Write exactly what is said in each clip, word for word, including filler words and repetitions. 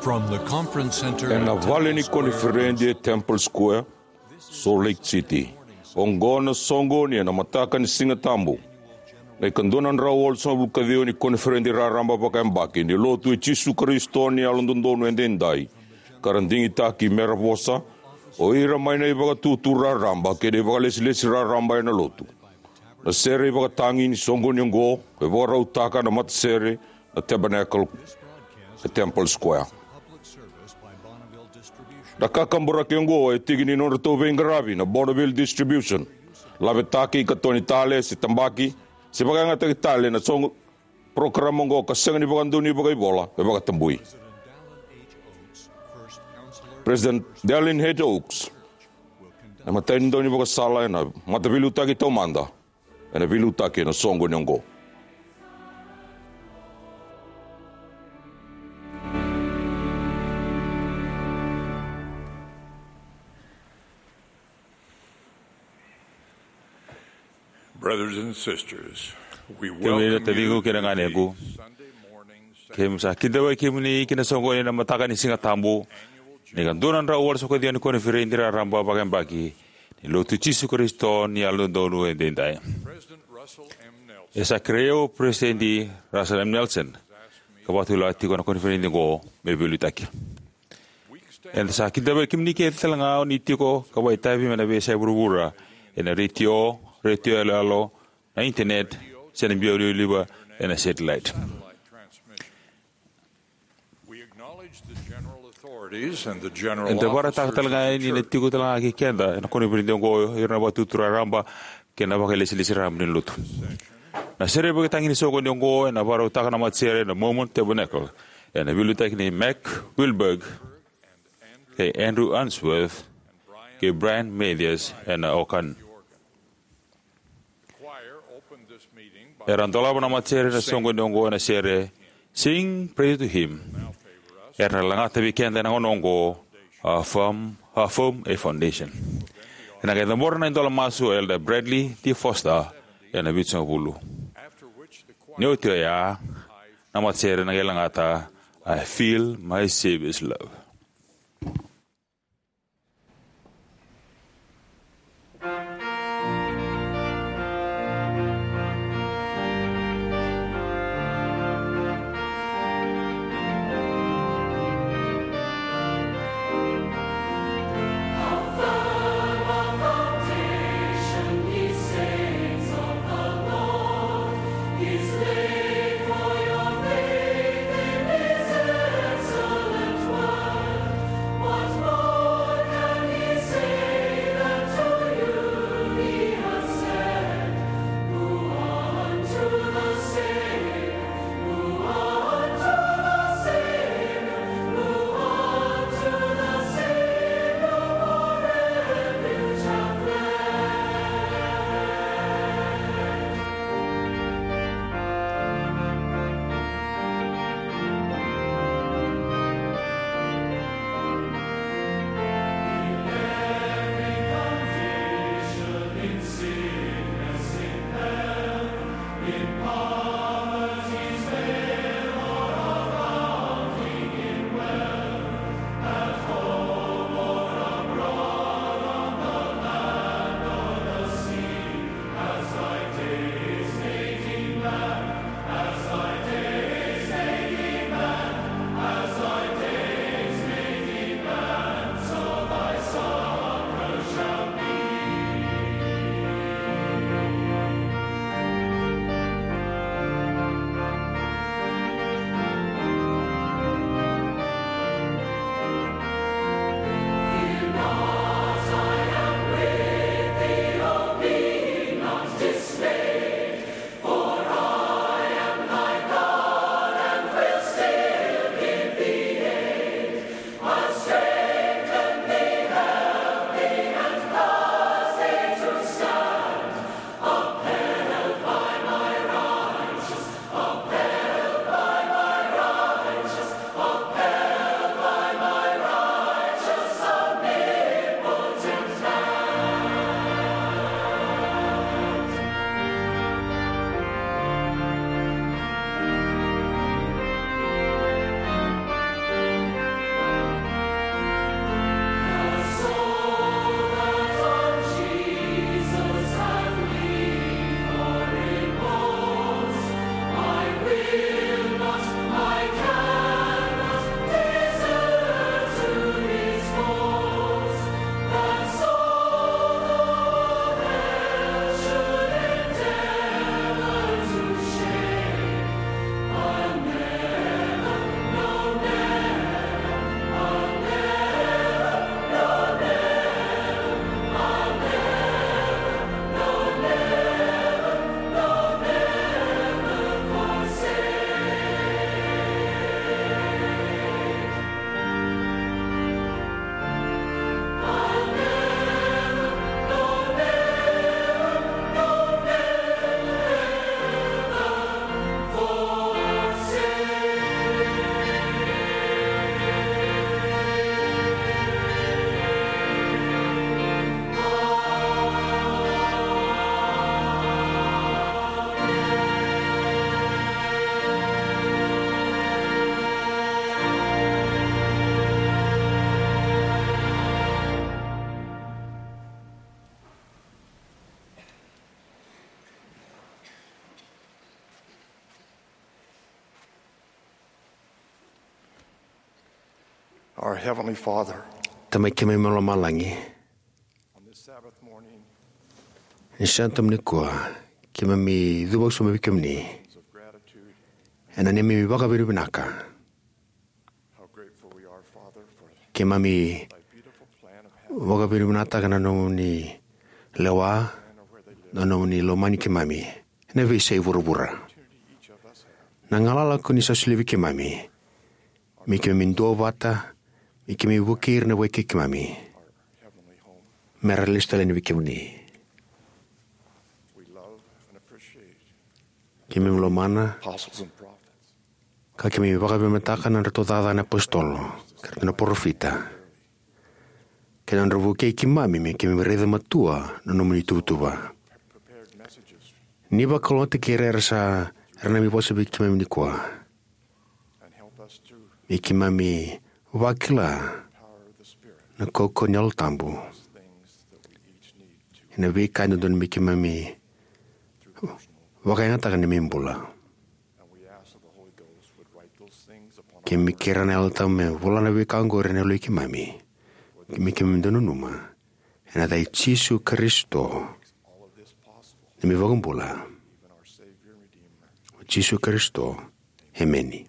From the conference center ena vale ni koniferedi e Temple Square, Salt Lake City. Oqo na soqoni ena mataka ni Siga Tabu. Na ikadua na drau walusagavulu ka ciwa ni koniferedi raraba vakayabaki ni Lotu i Jisu Karisito ni Yalododonu Edaidai, ka ra digitaki me ra vosa o ira mai na ivakatutu raraba kei na ivakalesilesi raraba ena Lotu. Na sere ivakatagi ni soqoni oqo e vakarautaka na matasere na Tabernacle e Temple Square. Na kakaburaki oqo e tiki ni nodratou veiqaravi na Bonneville Distribution. Lavetaki ka toni tale se tabaki se vakayagataki tale na soqo, porokaramu oqo ka sega ni vakadonui vakaivola, e vakatabui. President Dallin H. Oaks, na imatai ni daunivakasala ena Mataveiliutaki Taumada, ena veiliutaki ena soqoni oqo. Brothers and sisters, we kemuni na welcome taciqu you kei na to ganequ. This Sunday morning's keimami sa kidavaki kemuni ki na soqoni ena mataka ni Siga Tabu, na ikadua na drau walusagavulu ka ciwa ni koniferedi raraba vakayabaki ni Lotu i Jisu Karisito ni Yalododonu Edaidai. President Russell M. Nelson. E sa kerei au o Peresitedi Russell M. Nelson ka vakatulewataka tiko na koniferedi oqo me veiliutaki. Eda sa kidavaki kemuni kece talega o ni tiko ka vakaitavi mai na veiyasai vuravura ena retio, retio yaloyalo, na internet, se na biau livaliva ena satellite. We acknowledge the general authorities and the general officers of the church. Eda vakaraitaka talega ni na tiko talega kei keda ena koniferedi oqo o ira na ivakatutu raraba kei na vakailesilesi raraba ni Lotu. Na sere ivakatagi ni soqoni oqo ena vakarautaka na matasere na Mormon Tabernacle, ena veiliutaki nei Mack Wilberg kei Andrew Unsworth kei Brian Mathias ena organ. Era dolava na matasere ena soqoni oqo ena sere Sing Praise to Him. Era na lagata vei keda ena gauna oqo, How Firm, How Firm a Foundation. Ena qai cabora na idola masu o Elder Bradley D. Foster ena vitusagavulu. Ni oti oya, na matasere na qai lagata, I Feel My Savior's Love. Our Heavenly Father, Tamai keimami mai lomalagi, on this Sabbath morning, ni sa tamani kua, keimami cuva sobu vei kemuni of gratitude, ena neimami vakavinavinaka. How grateful we are, Father, for Keimami thy beautiful plan of heaven vakavinavinakataka na nomuni lewa, na nomuni lomani keimami ena veiyasai vuravura. Na galala ko ni sa solia vei keimami me keimami duavata, me keimami vukei ira na wekai keimami mera lesu tale yani vei kemuni. Keimami lomana ka keimami vakavinavinakataka na nodratou cakacaka na apositolo kei na parofita kei na nodra vukei keimami me keimami raica matua na nomuni tuvatuva. Ni vakalougatataki ira era sa era na mai vosa vei keimami nikua, me keimami vakila na kaukauwa ni Yalo Tabu ena veika e dodonu me keimami vakayagataka na neimami bula. Keimami kerea na Yalo Tabu me vola na veika oqori ena yaloi keimami, me keimami dau nanuma ena yaca i Jisu Karisito, neimami iVakabula, o Jisu Karisito. Emeni.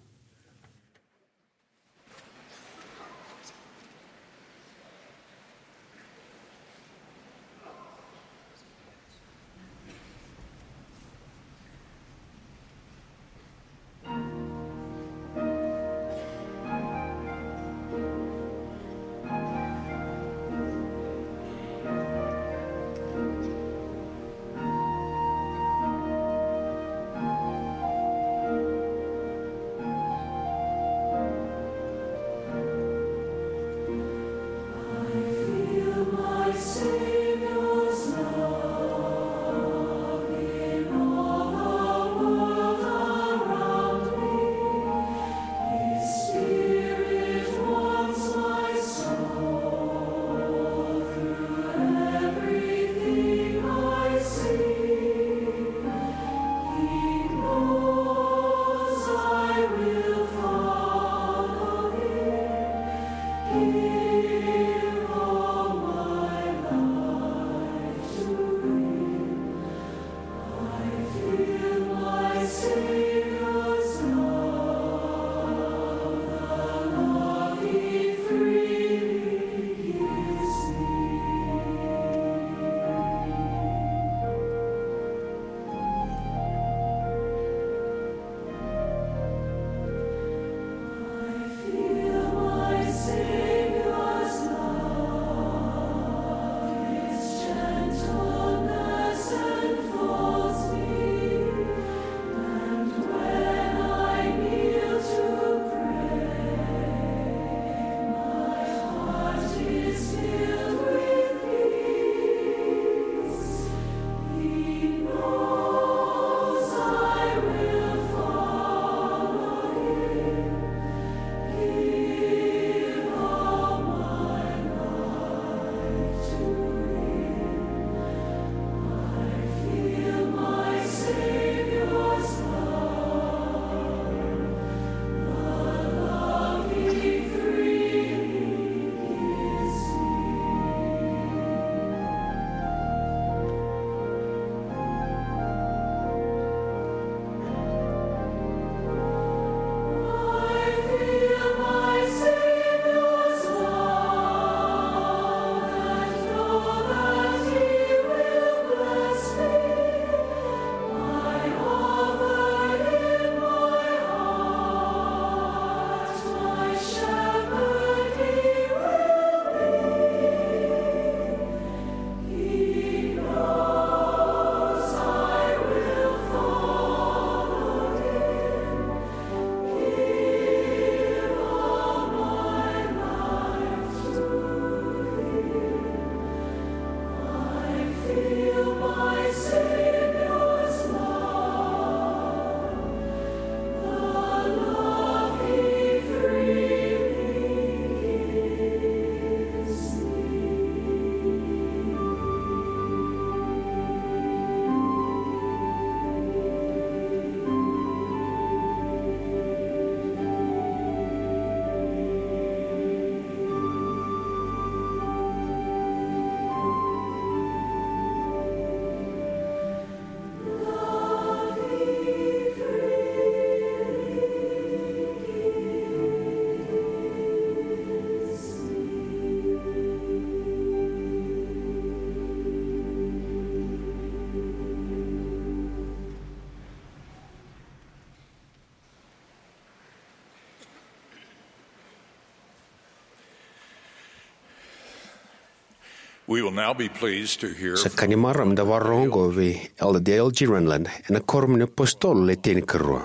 We will now be pleased to hear Sa ka ni marama da vakarorogo oqo vei Elder Dale G. Renlund ena Kuoramu ni Apositolo Le Tinikarua.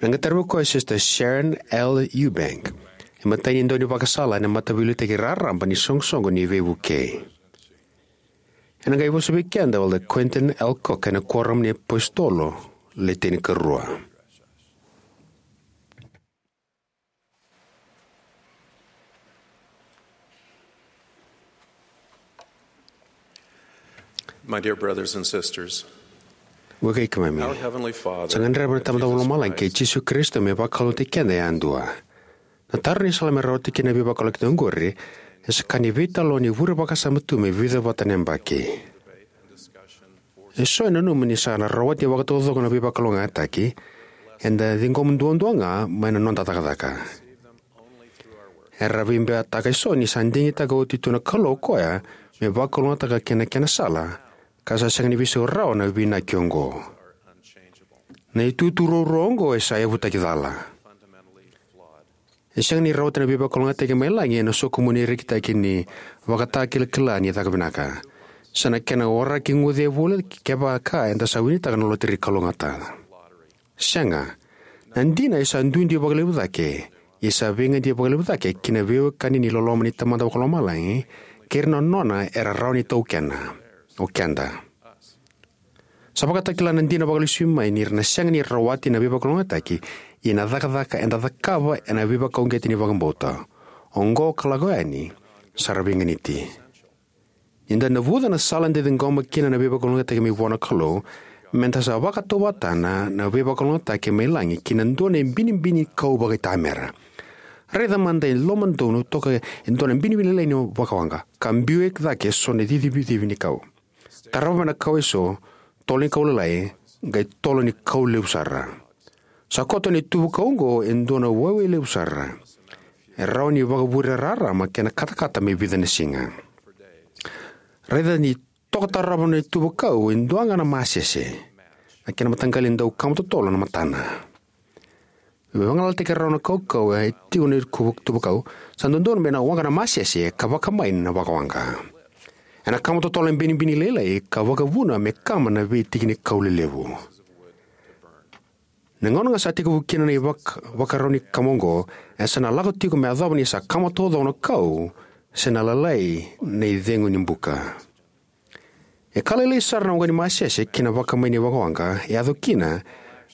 Ena qai taravi koya Sister Sharon L. Eubank, e matai ni dau ni vakasala ena Mataveiliutaki Raraba ni Soqosoqo ni Veivukei. Ena qai vosa vei keda o Elder Quentin L. Cook ena Kuoramu ni Apositolo Le Tinikarua. My dear brothers and sisters, Vakaikeimami, our Heavenly Father sa gadreva na Tamada Vakalomalagi kei Jisu Karisito me vakalougatataki keda yadua. Na taro ni sala me rawati kina na veivakalougatataki oqori e sa ka ni veitalanoa ni vure vakasama tu me vica vata na yabaki. Eso e nanuma ni sa na rawati vakataucoko na veivakalougatataki, eda ciqoma duadua ga mai na noda cakacaka. Era veibeataka eso ni sa digitaka oti tu na Kalou o koya me vakalougatataka kina na kena sala, ka sa sega ni veisau rawa na veiinaki oqo. Na itutu ruarua oqo e sa yavutaki cala. E sega ni rawati na veivakalougatataki mai lagi ena sokumuni rekitaki ni ivakatakilakila ni caka vinaka, se na kena waraki guce e voli kevaka eda sa winitaka na loteri kalougata. Sega. Na dina e sa duidui vakalevu cake, e sa veigadi vakalevu cake ki na veiwekani ni loloma ni Tamada Vakalomalagi kei ira na nona era rawa ni taukena, o keda. Sa vakatakila na dina vakalesui mai ni ra na sega ni rawati na veivakalougatataki, ia na cakacaka eda cakava ena veivakauqeti ni vakabauta, oqo ka lako yani, sa ra veiganiti. Ni da navuca na sala eda ciqoma kina na veivakalougatataki mai vua na Kalou, meda sa vakatauvatana na veivakalougatataki mai lagi ki na dua na ibinibini kau vakaitamera. Raica mada e lomadonu toka e dua na binibini lailai ni vakawaqa, ka biu e cake eso na cicivicivi ni kau. Tarava mai na kau eso, tolo ni kau lalai, qai tolo ni kau levu sara. Sa koto na ituvakau oqo e dua na waiwai levu sara. E rawa ni vakavure rarama kei na katakata me vica na siga. Raica ni toka tarava na ituvakau e dua ga na masese. Na kena mataqali dau kama totolo na matana. Vagalalataki rawa na kaukau e tiko na ituvakau, sa dodonu me na waqa na masese ka vakamai na vakawaqa. Ena kama totolo na binibini lailai ka vakavuna me kama na veitiki ni kau lelevu. Na gauna ga sa tekivu kina na ivak-, ivakarau ni kama oqo, e sa na lako tiko me yacova ni sa kama taucoko na kau, se na lalai na icegu ni buka. E ka lailai sara na waqa ni masese ki na vakamai ni vakawaqa, e yaco kina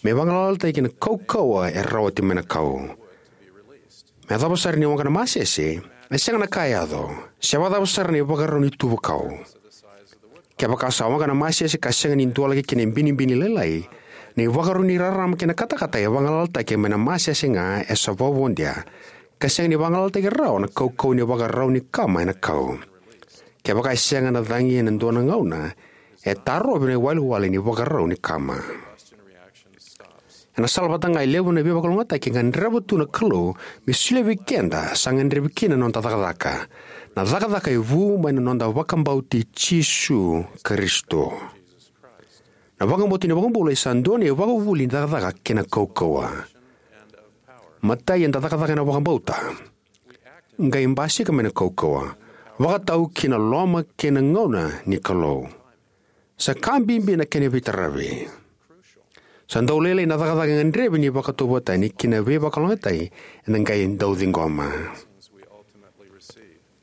me vagalalataki na kaukauwa e rawati mai na kau. Me yacova sara ni waqa na masese, e sega na ka e yaco, se vakacava sara na ivakarau ni tuvakau. Kevaka sa waqa na masese ka sega ni dualaki kina e binibini lailai, na ivakarau ni rarama kei na katakata e vagalalataki mai na masese ga e sa vakavodia, ka sega ni vagalalataki rawa na kaukauwa ni ivakarau ni kama ena kau. Kevaka e sega na cagi ena dua na gauna, e tarovi na iwalewale ni ivakarau ni kama. Ena sala vata ga e levu na veivakalougatataki e gadreva tu na Kalou me solia vei keda, sa gadrevi kina na noda cakacaka. Na cakacaka e vu mai na noda vakabauti Jisu Karisito. Na vakabauti ni iVakabula e sa dua na ivakavuvuli ni cakacaka kei na kaukauwa. Matai eda cakacaka ena vakabauta. Qai basika mai na kaukauwa. Vakatau ki na loma kei na gauna ni Kalou. Sa ka bibi na kena veitaravi. Sa dau lailai na cakacaka e gadrevi ni vakatauvatani ki na veivakalougatataki eda qai dau ciqoma.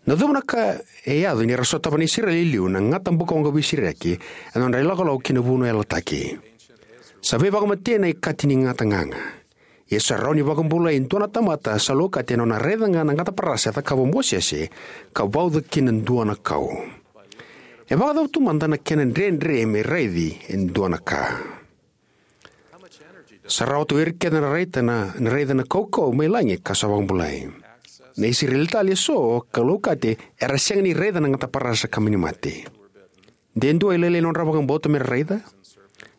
Na cava na ka e yaco ni ra sotava na Isireli e liu na gata bukawaqa veisiriyaki ena nodra ilakolako ki na vanua yalataki. Sa veivakamatei na ikati ni gata gaga. Ia sa rawa ni vakabulai e dua na tamata sa laukati ena nona raica ga na gata parasa e cakava o Mosese, ka vauca kina e dua na kau. E vakacava tu mada na kena dredre me raici e dua na ka? Sa rawa tu o ira kece na raica na, na raica na kaukauwa mai lagi ka sa vakabulai. Na Isireli tale eso ka laukati era sega ni raica na gata parasa ka mani mate. De dua e lailai nodra vakabauta me ra raica?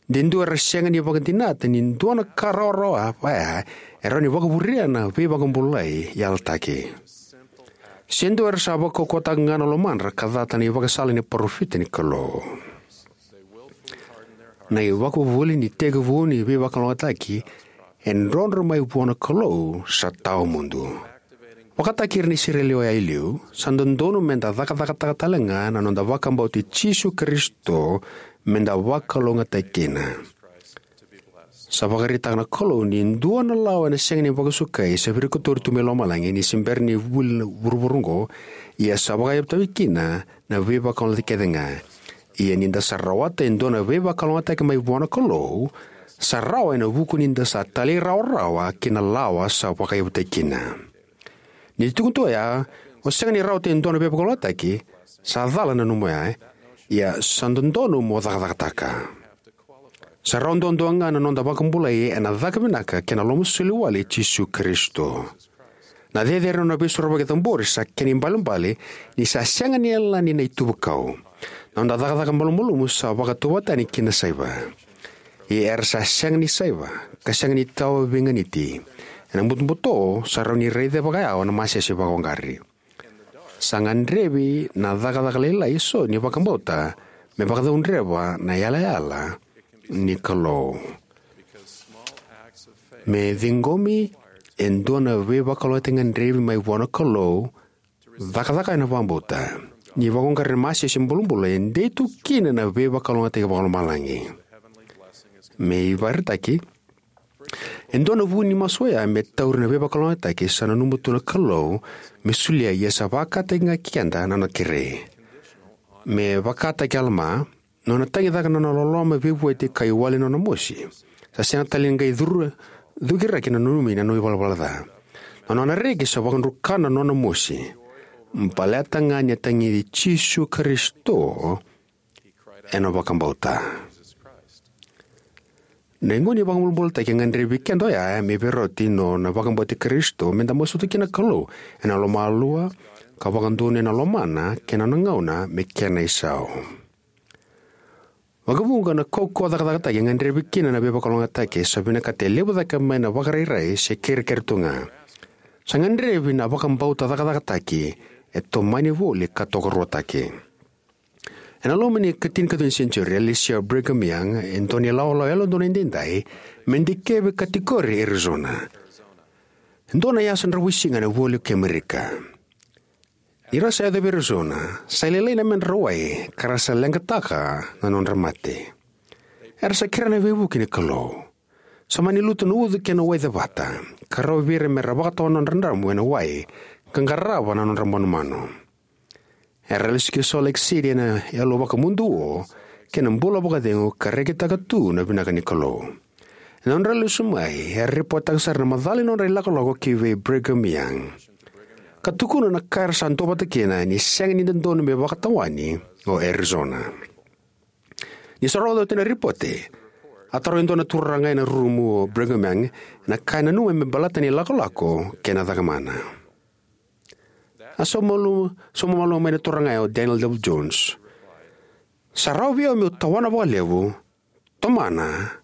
De dua era sega ni vakadinata ni dua na ka rawarawa vaya e rawa ni vakavuria na veivakabulai yalataki? Se dua era sa vakaukauwataka ga na lomadra ka cata na ivakasala ni parofita ni Kalou? Na ivakavuvuli ni tekivu ni veivakalougatataki e drodro mai vua na Kalou sa tawamudu. Vakataki ira na Isireli oya e liu, sa dodonu meda cakacakataka tale ga na noda vakabauti Jisu Karisito meda vakalougatataki kina. Sa vakaraitaka na Kalou ni dua na lawa ena sega ni vakasukai sa virikotori tu mai lomalagi ni se bera ni vuli na vuravura oqo, ia sa vakayavutavi kina na veivakalougatataki kece ga. Ia ni da sa rawata e dua na veivakalougatataki mai vua na Kalou, sa rawa ena vuku ni da sa talairawarawa ki na lawa sa vakayavutaki kina. Ni tukuni tu oya, o sega ni rawata e dua na veivakalougatataki, sa cala na nomu oya, ia sa dodonu mo cakacakataka. Sa rawa duadua ga na noda vakabulai ena caka vinaka kei na lomasoli wale i Jisu Karisito. Na cecere na nona veisorovaki cabori sa kena ibalebale ni sa sega ni yalani na ituvakau. Na noda cakacaka malumalumu sa vakatauvatani ki na saiva. Ia era sa sega ni saiva, ka sega ni tawa veiganiti. Ena butobuto, sa rawa ni raica vakayawa na masese vakawaqari. Sa gadrevi na cakacaka lailai eso ni vakabauta me vakacaudreva na yalayala ni Kalou. Me ciqomi e dua na veivakalougatataki gadrevi mai vua na Kalou, cakacaka ena vakabauta. Ni vakawaqara na masese bulabula e dei tu kina na veivakalougatataki vakalomalagi. Me ivakaraitaki, e dua na vu ni masu oya me tauri na veivakalougatataki sa nanuma tu na Kalou me solia, ia sa vakataki ga keda na nona kerei. Me vakataki Alama, nona tagicaka na nona loloma veivueti ka iwali na nona mosi. Sa sega tale ni qai curu, cukiraki na nanumi na nona ivalavala ca. Na nona reki sa vakadrukana na nona mosi. Baleta ga ni a tagici Jisu Karisito ena vakabauta. Na igu ni vakabulabulataki e gadrevi keda oya me veirauti nona vakabauti Karisito, meda masuta kina na Kalou ena lomalua, ka vakadonui ena lomana kei na nona gauna me kena isau. Vakavuqa na kaukauwa cakacakataki e gadrevi kina na veivakalougatataki sa vinakata e levu cake mai na vakarairai se kerekere tu ga. Sa gadrevi na vakabauta cakacakataki e tomani voli ka tokaruataki. Ena loma ni ikatinikatolu ni senitiuri, a lesia o Brigham Young e dua na ilawalawa yalododonu edaidai me dikevi katikori e Arizona, e dua na yasa dravuisiga ena ivola kei Amerika. Ni ra sa yaco vei Arizona, sa lailai na medra wai ka ra sa leqataka na nodra mate. Era sa kerea na veivuke ni Kalou. Sa mani lutu na ucu kei na wai cevata, ka rawa vei ira me ra vakatawa na nodra dramu ena wai ka qarava na nodra manumanu. Era lesu ki Salt Lake City ena yalo vakamuduo kei na bula vakacegu ka rekitaka tu na vinaka ni Kalou. Ena nodra lesu mai, era ripotetaka sara na macala ni nodra ilakolako ki vei Brigham Young. Ka tukuna na ka era sa duavata kina ni sega ni dodonu me vakatawani o Arizona. Ni sa rogoca oti na ripote, a taroga e dua na turaga ena rumu o Brigham Young na ka e nanuma me baleta na ilakolako kei na cakamana. A sauma malu-, sauma malua mai na turaga o Daniel David Jones. Sa rawa vei au meu tawana vakalevu, tomana,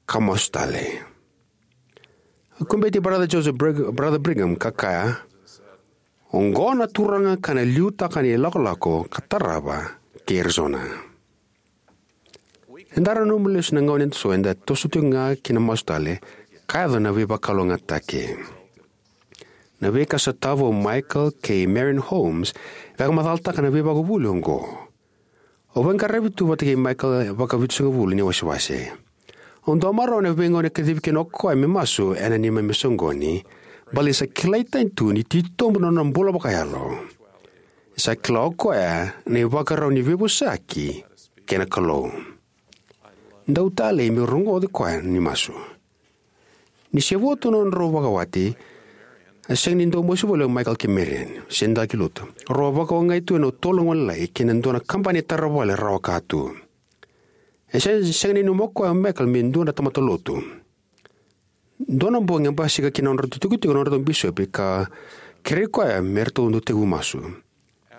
ka masu tale. A kubeti Brother Joseph Brig-, Brother Brigham ka kaya, oqo na turaga ka na liutaka na ilakolako ka tarava ki Arizona. Eda nanuma lesu na gauna eda so eda toso tiko ga ki na masu tale, ka yaco na veivakalougatataki. Na veika sa tava o Michael kei Marian Holmes e vakamacalataka na veivakavuvuli oqo. Au veiqaravi tu vata kei Michael vakavitusagavulu ni wasewase. Au dau marau ena veigauna e kacivi kina o koya me masu ena neimami soqoni, baleta sa kilai tani tu ni titobu na nona bula vakayalo. Sa kila o koya na ivakarau ni veivosaki kei na Kalou. Dau talei meu rogoci koya ni masu. Ni se vo tu na nodrau vakawati, a sega ni dau masu voli o Michael kei Marian, se dau ki lotu. Rau a vakaogai tu ena tolo gone lailai ki na dua na kabani taravale rawa ka tu. E se-, sega ni nanuma o koya o Michael me dua na tamata lotu. Dua na bogi a basika ki na nodratou tikotiko na nodratou bisopi ka kerei koya me ratou dau tekivu masu.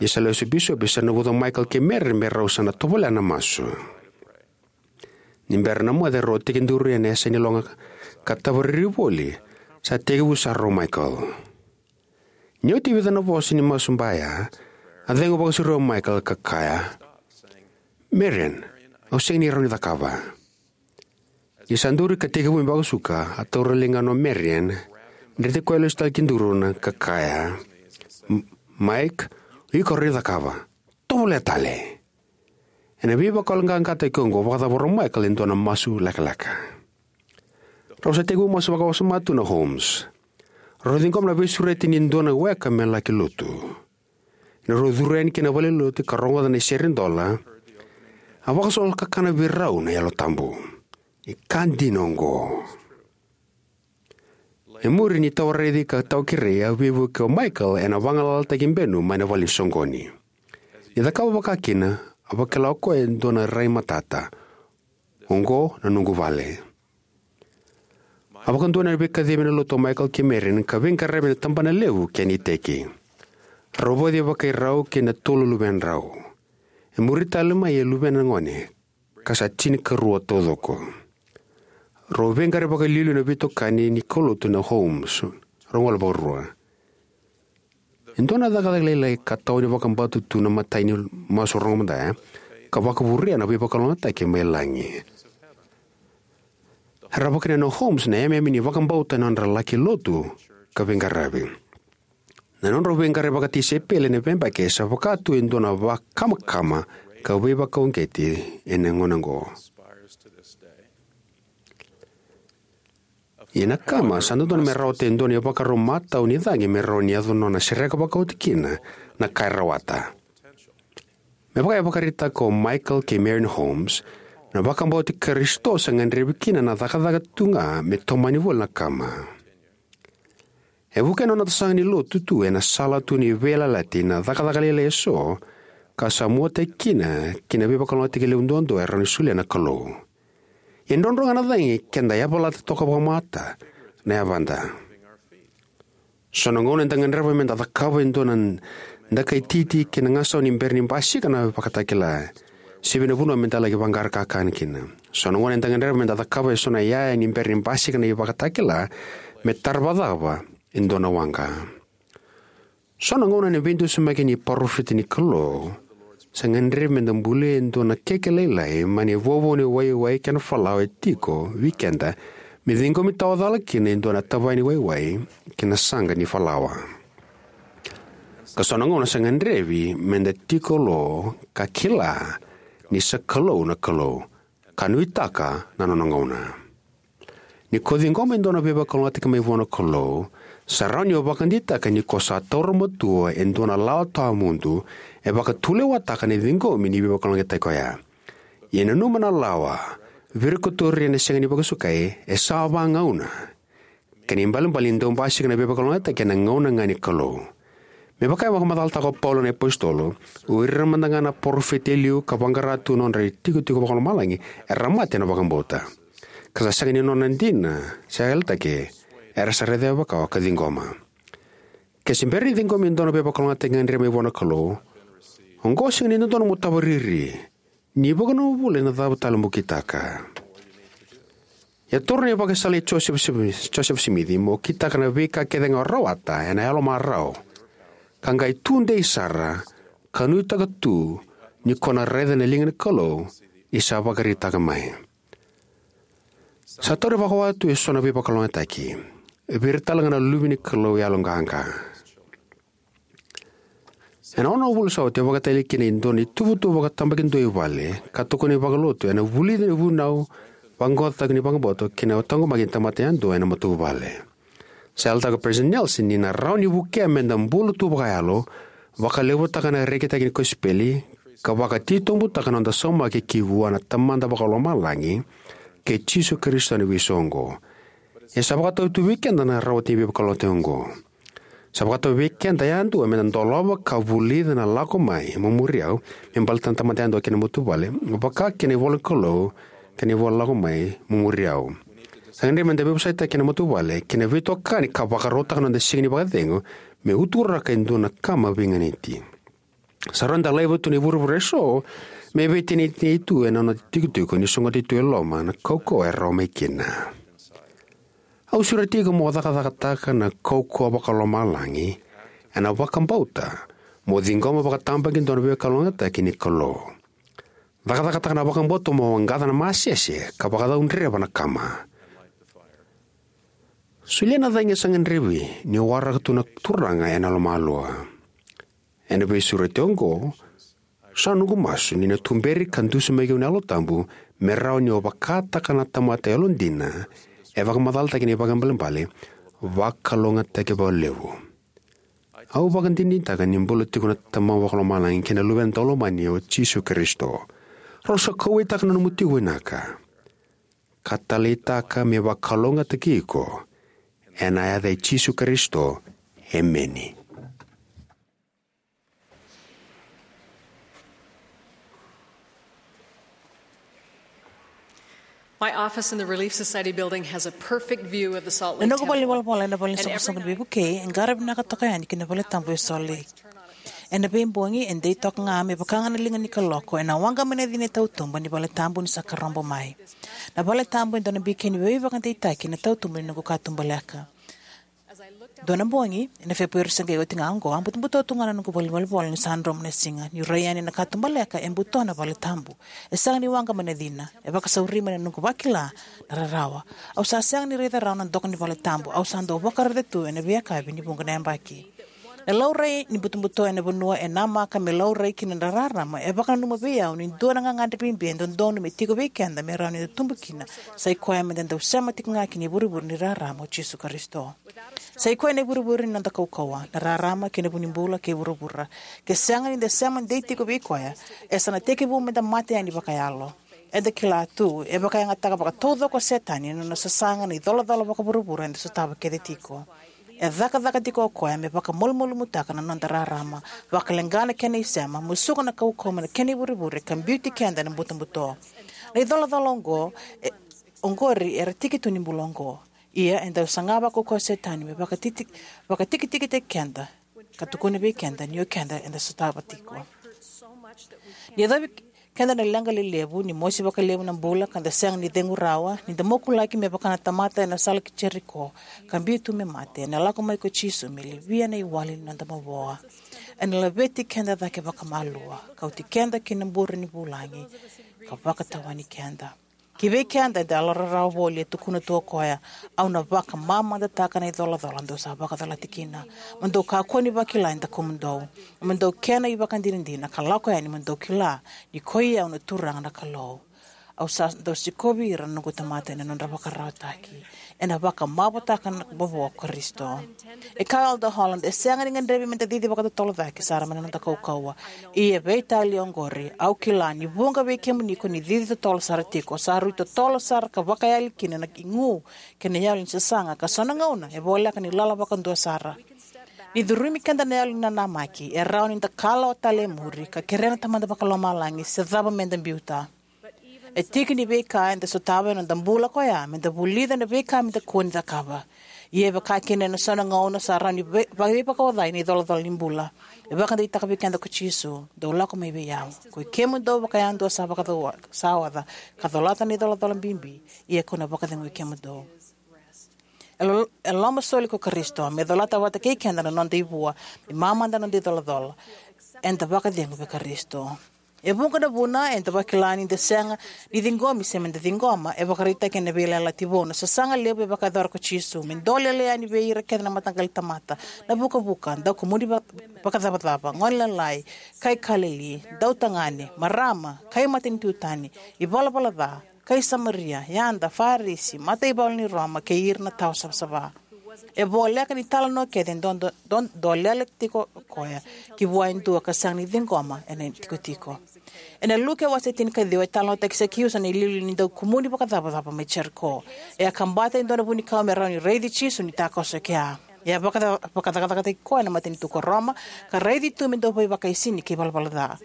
Ni sa lesu o bisopi, sa navuca o Michael kei Marian me rau sa na tovolea na masu. Ni bera na moce, rau a tekiduru ena yasa ni loga ka tavariri voli, sa tekivu sara o Michael. Ni oti e vica na vosa ni masu baya, a cegu vakasauri o Michael ka kaya, Marian, au sega ni rawa ni cakava. Ni sa duri ka tekivu me vakasuka, a taura ligana o Marian, dreti koya lesu tale ki duru na ka kaya, "M-, Mike, iko rawa ni cakava. Tovolea tale." Ena veivakayaloqaqataki oqo, vakacavara o Michael e dua na masu lekaleka. Rau sa tekivu masu vakawasoma tu na Holmes. Rau ciqoma na veisureti ni dua na weka me laki lotu. Ena rau curu yani ki na valenilotu ka rogoca na isere dola, a vakasolokakana vei rau na Yalo Tabu. Ni ka dina oqo. E muri ni tawa raici ka tawa kerei, a veivuke o Michael ena vagalalataki benu mai na vale ni soqoni. Ni cakava vakakina, a vakila o koya e dua na rai matata. "Oqo na noqu vale." A vakadua na veikacivi ena lotu o Michael kei Marion ka veiqaravi ena tabana levu kei na iteki. Rau vauci vakai rau kei na tolu luvedrau. E muri tale mai e luvena gone, ka sa tinikarua taucoko. Rau veiqaravi vakaliuliu ena veitokani ni kaulotu na Holmes. Rau gole vakarua. E dua na cakacaka lailai ka tawa ni vakabauta tu na imatai ni masu rogo mada ya, ka vakavurea na veivakalougatataki mai lagi. Era vakakina na Holmes na yameyame ni vakabauta ena nodra laki lotu ka veiqaravi. Na nodrau veiqaravi vakatisaipeli ena veiyabaki sa vaka tu e dua na vakamakama ka veivakauqeti ena gauna oqo. Ia na kama sa dodonu me rawata e dua na ivakarau matau ni cagi me rawa ni yaco nona sereka vakaoti kina na ka e rawata. Me vaka e vakaraitaka o Michael kei Marion Holmes, na vakabauti Karisito sa gadrevi kina na cakacaka tu ga me tomani voli na kama. E vukea na noda sasaga ni lotu tu ena sala tu ni veiyalayalati na cakacaka lailai eso, ka sa muataki kina ki na veivakalougatataki levu duadua e rawa ni solia na Kalou. E drodro ga na cagi ke da yavalata toka vakamata na yavada. So na gauna eda gadreva me da cakava e dua na dakai titi kei na gasau ni bera ni basika na ivakatakila, se vei na vanua me da laki vaqara kakana kina. So na gauna eda gadreva me da cakava e so na iyaya ni bera ni basika na ivakatakila, me tara vakacava e dua na waqa. So na gauna ena veidusimaki ni parofita ni Kalou, sa gadrevi me da bulia e dua na keke lailai mai na ivovou ni waiwai kei na falawa e tiko vei keda, me ciqomi tawa cala kina e dua na tavaya ni waiwai kei na saqa ni falawa. Ka so na gauna sa gadrevi me da tiko lo ka kila ni sa Kalou na Kalou, ka nuitaka na nona gauna. Ni ko ciqoma e dua na veivakalougatataki mai vua na Kalou, sa rawa ni o vakadeitaka ni ko sa taura matua e dua na lawa tawamudu e vakatulewataka na ciqomi ni veivakalougatataki oya. Ia nanuma na lawa, virikotori ena sega ni vakasukai, e sa vagauna. Kena ibalebale ni dau basika na veivakalougatataki ena gauna ga ni Kalou. Me vaka e vakamacalataka o Paula na iApositolo, o ira mada ga na parofita e liu ka vaqara tu na nodra itikotiko vakalomalagi era mate ena vakabauta. Ka sa sega ni nona dina se yalataki, era sa raica vaka o ka ciqoma. Ke se bera ni ciqomi e dua na veivakalougatataki gadrevi mai vua na Kalou, oqo sega ni dodonu mo tavariri, ni vakanomobula ena cava tale mo kitaka. Ia taura na ivakasala i Joseph Smith, Joseph Smith, mo kitaka na veika kece ga o rawata ena yalomarau, ka qai tudei sara, ka nuitaka tu ni ko na raica na liga ni Kalou ni sa vakaraitaka mai. Sa tauri vakawati tu e so na veivakalougatataki, vei ira tale ga na luve ni Kalou yaloqaqa. Ena ono na vula sa oti, au vakatali kina e dua na ituvatuva vakatabakidua i vale, ka tokoni vakalotu ena vulici ni vunau, vaqaqacotaki ni vakabauta kei na taqomaki ni tamata yadua ena matavuvale. Sa yalataka o Peresitedi Nelson ni na rawa ni vukea me da bula tu vakayalo, vakalevutaka na rekitaki ni kosipeli, ka vakatitobutaka na noda saumaki ki vua na Tamada Vakalomalagi kei Jisu Karisito ena veisoqo. E sa vakatau tu vei keda na rawati ni veivakalougatataki oqo. Sa vakatau vei keda yadua me da dolava ka vulica na Lako Mai, Mo Muri Au, me baleta na tamata yadua kei na matavuvale, vaka kina ivola ni Kalou kei na ivola Lako Mai, Mo Muri Au. Sa gadrevi me da veivosakitaka kei na matavuvale kei na veitokani ka vakarautaka na noda siga ni vakacegu me uturaka e dua na kama veiganiti. Sa rawa ni da laiva tu na ivurevure eso me veiteinitei tu ena noda itikotiko ni sogota tu e loma na kaukauwa e rawa mai kina. Au sureti iko mo cakacakataka na kaukauwa vakalomalagi ena vakabauta, mo ciqoma vakatabakidua na veivakalougatataki ni Kalou. Cakacakataka na vakabauta mo waqaca na masese ka vakacaudreva na kama. Solia na cagi e sa gadrevi ni waraka tu na Turaga ena lomalua. Ena veisureti oqo, sa noqu masu ni na tuberi ka dusimaki au na Yalo Tabu me rawa niu vakataka na tamata yalodina e vakamacalataki ena ivakaibalebale, vakalougatataki vakalevu. Au vakadinadinataka ni bula tiko na Tamaqu Vakalomalagi kei na Luvena Daulomani o Jisu Karisito. Rau sa kauwaitaka na nomu tiko vinaka ka taleitaka me vakalougatataki iko. Ena yaca i Jisu Karisito, emeni. My office in the Relief Society building has a perfect view of the Salt Lake Temple. Na noqu valenivolavola ena vale ni soqosoqo ni veivukei e qara vinaka toka yani ki na vale tabu e Salt Lake. Ena veibogi e dei toka ga me vaka ga na liga ni kaloko ena waqa mai na cina e tautuba ni vale tabu ni sa karobo mai. Na vale tabu e dua na bikeni veivakadeitaki ena tautuba ni noqu katubaleka. Dua na bogi, ena Feperueri se qai oti ga oqo, a butobuto tu ga na noqu valenivolavola ni sa dromu na siga. Niu rai yani ena katubaleka, e buto na vale tabu. E sega ni waqa mai na cina. E vakasauri mai na noqu vakila na rarawa. Au sa sega ni raica rawa na doka ni vale tabu. Au sa dau vakaraica tu ena veiyakavi ni vuqa na yabaki. Na laurai ni butobuto ena vanua e namaka me laurai kina na rarama e vakananuma vei au ni dua na gagadre bibi e dodonu me tiko vei keda me rawa ni da tubu kina. Sa i koya me da dau sema tiko ga ki na ivurevure ni rarama o Jisu Karisito. Sa i koya na ivurevure ni noda kaukauwa, na rarama kei na vu ni bula kei vuravura. Ke sega ni da sema dei tiko vei koya, e sa na tekivu me da mate yani vakayalo. Eda kila tu e vakayagataka vakataucoko o Setani na nona sasaga na icolacola vakavuravura eda sotava kece tiko. E cakacaka tiko o koya me vakamalumalumutaka na noda rarama, vakaleqa na kena isema, musuka na kaukauwa mai na kena ivurevure ka biuti keda ena butobuto. Na icolacola oqo, e, oqori era tiki tu ni bula oqo. Ia e dau saga vakaukauwa o Setani me vakatiti-, vakatikitikitaki keda ka tukuna vei keda ni o keda eda sotava tiko. Ni yacovi keda na leqa lelevu, ni mosi vakalevu na bula ka da sega ni cegu rawa, ni da mokulaki me vaka na tamata ena sala ki Jeriko ka biu tu me mate, ena lako mai ko Jisu me livia na iwali ni noda mavoa. Ena laveti keda cake vakamalua, kauti keda ki na bure ni vulagi ka vakatawani keda. Ki vei keda eda yalorarawa voli, e tukuna tu o koya, au na vakamamadataka na icolacola dou sa vakacolati kina. Mo dou kakua ni vakila e dakumudou. Mo dou kena ivakadinadina ka lako yani mo dou kila ni koi au na Turaga na Kalou. Au sa dau sikovi ira na noqu tamata ena nodra vakararawataki. Ena vakamavotaka na mavoa o Karisito. E kaya o Elder Holland, e sega ni gadrevi me da cici vakatotolo cake sara mai na noda kaukauwa. Ia veitalia oqori, au kila ni vuqa vei kemuni ko ni cici totolo sara tiko, sa rui totolo sara ka vakayali kina na igu kei na yalo ni sasaga, ka so na gauna e voleka ni lala vakadua sara. Ni curumi keda na yalo ni nanamaki, e rawa ni da kalawa tale e muri ka kerea na Tamada Vakalomalagi se cava me da biuta. E tiki ni veika eda sotava ena noda bula koya me da vulica na veika me da kua ni cakava. Ia e vaka kina ena so na gauna sa rawa ni vei-, veivakaocai na icolacola ni bula. E vakadeitaka vei keda ko Jisu, dou lako mai vei au, koi kemudou vakayadua sa vakacaua-, sa oca, ka colata na icolacola bibi, ia kau na vakacegui kemudou. E lo-, e lomasoli ko Karisito me colata vata kei keda na noda ivua, me mamada na noda icolacola. Eda vakacegu vei Karisito. E vuqa na vuna eda vakila ni da sega ni ciqomi se me da ciqoma, e vakaraitaki ena Veiyalayalati Vou na sasaga levu e vakayacora ko Jisu me dolele yani vei ira kece na mataqali tamata, na vukavuka, daukumuni va-, vakacavacava, gone lalai, kai Kalili, dautagane, marama, kai matanitu tani, ivalavala ca, kai Samaria, yada, Farisi, mataivalu ni Roma, kei ira na tawa savasava. E voleka ni talanoa kece e do-, do-, do-, dolele tiko o koya ki vua e dua ka sega ni ciqoma ena itikotiko. Ena Luke wase tinikaciwa e talanoataki Sakiusa na iliuliu ni daukumuni vakacavacava mai Jeriko. E a kabata e dua na vunikau me rawa ni raici Jisu ni takoso e kea. E a vakaca-, vakacakacakataki koya na matanitu ko Roma, ka raici tu me dau veivakaisini kei valavala ca.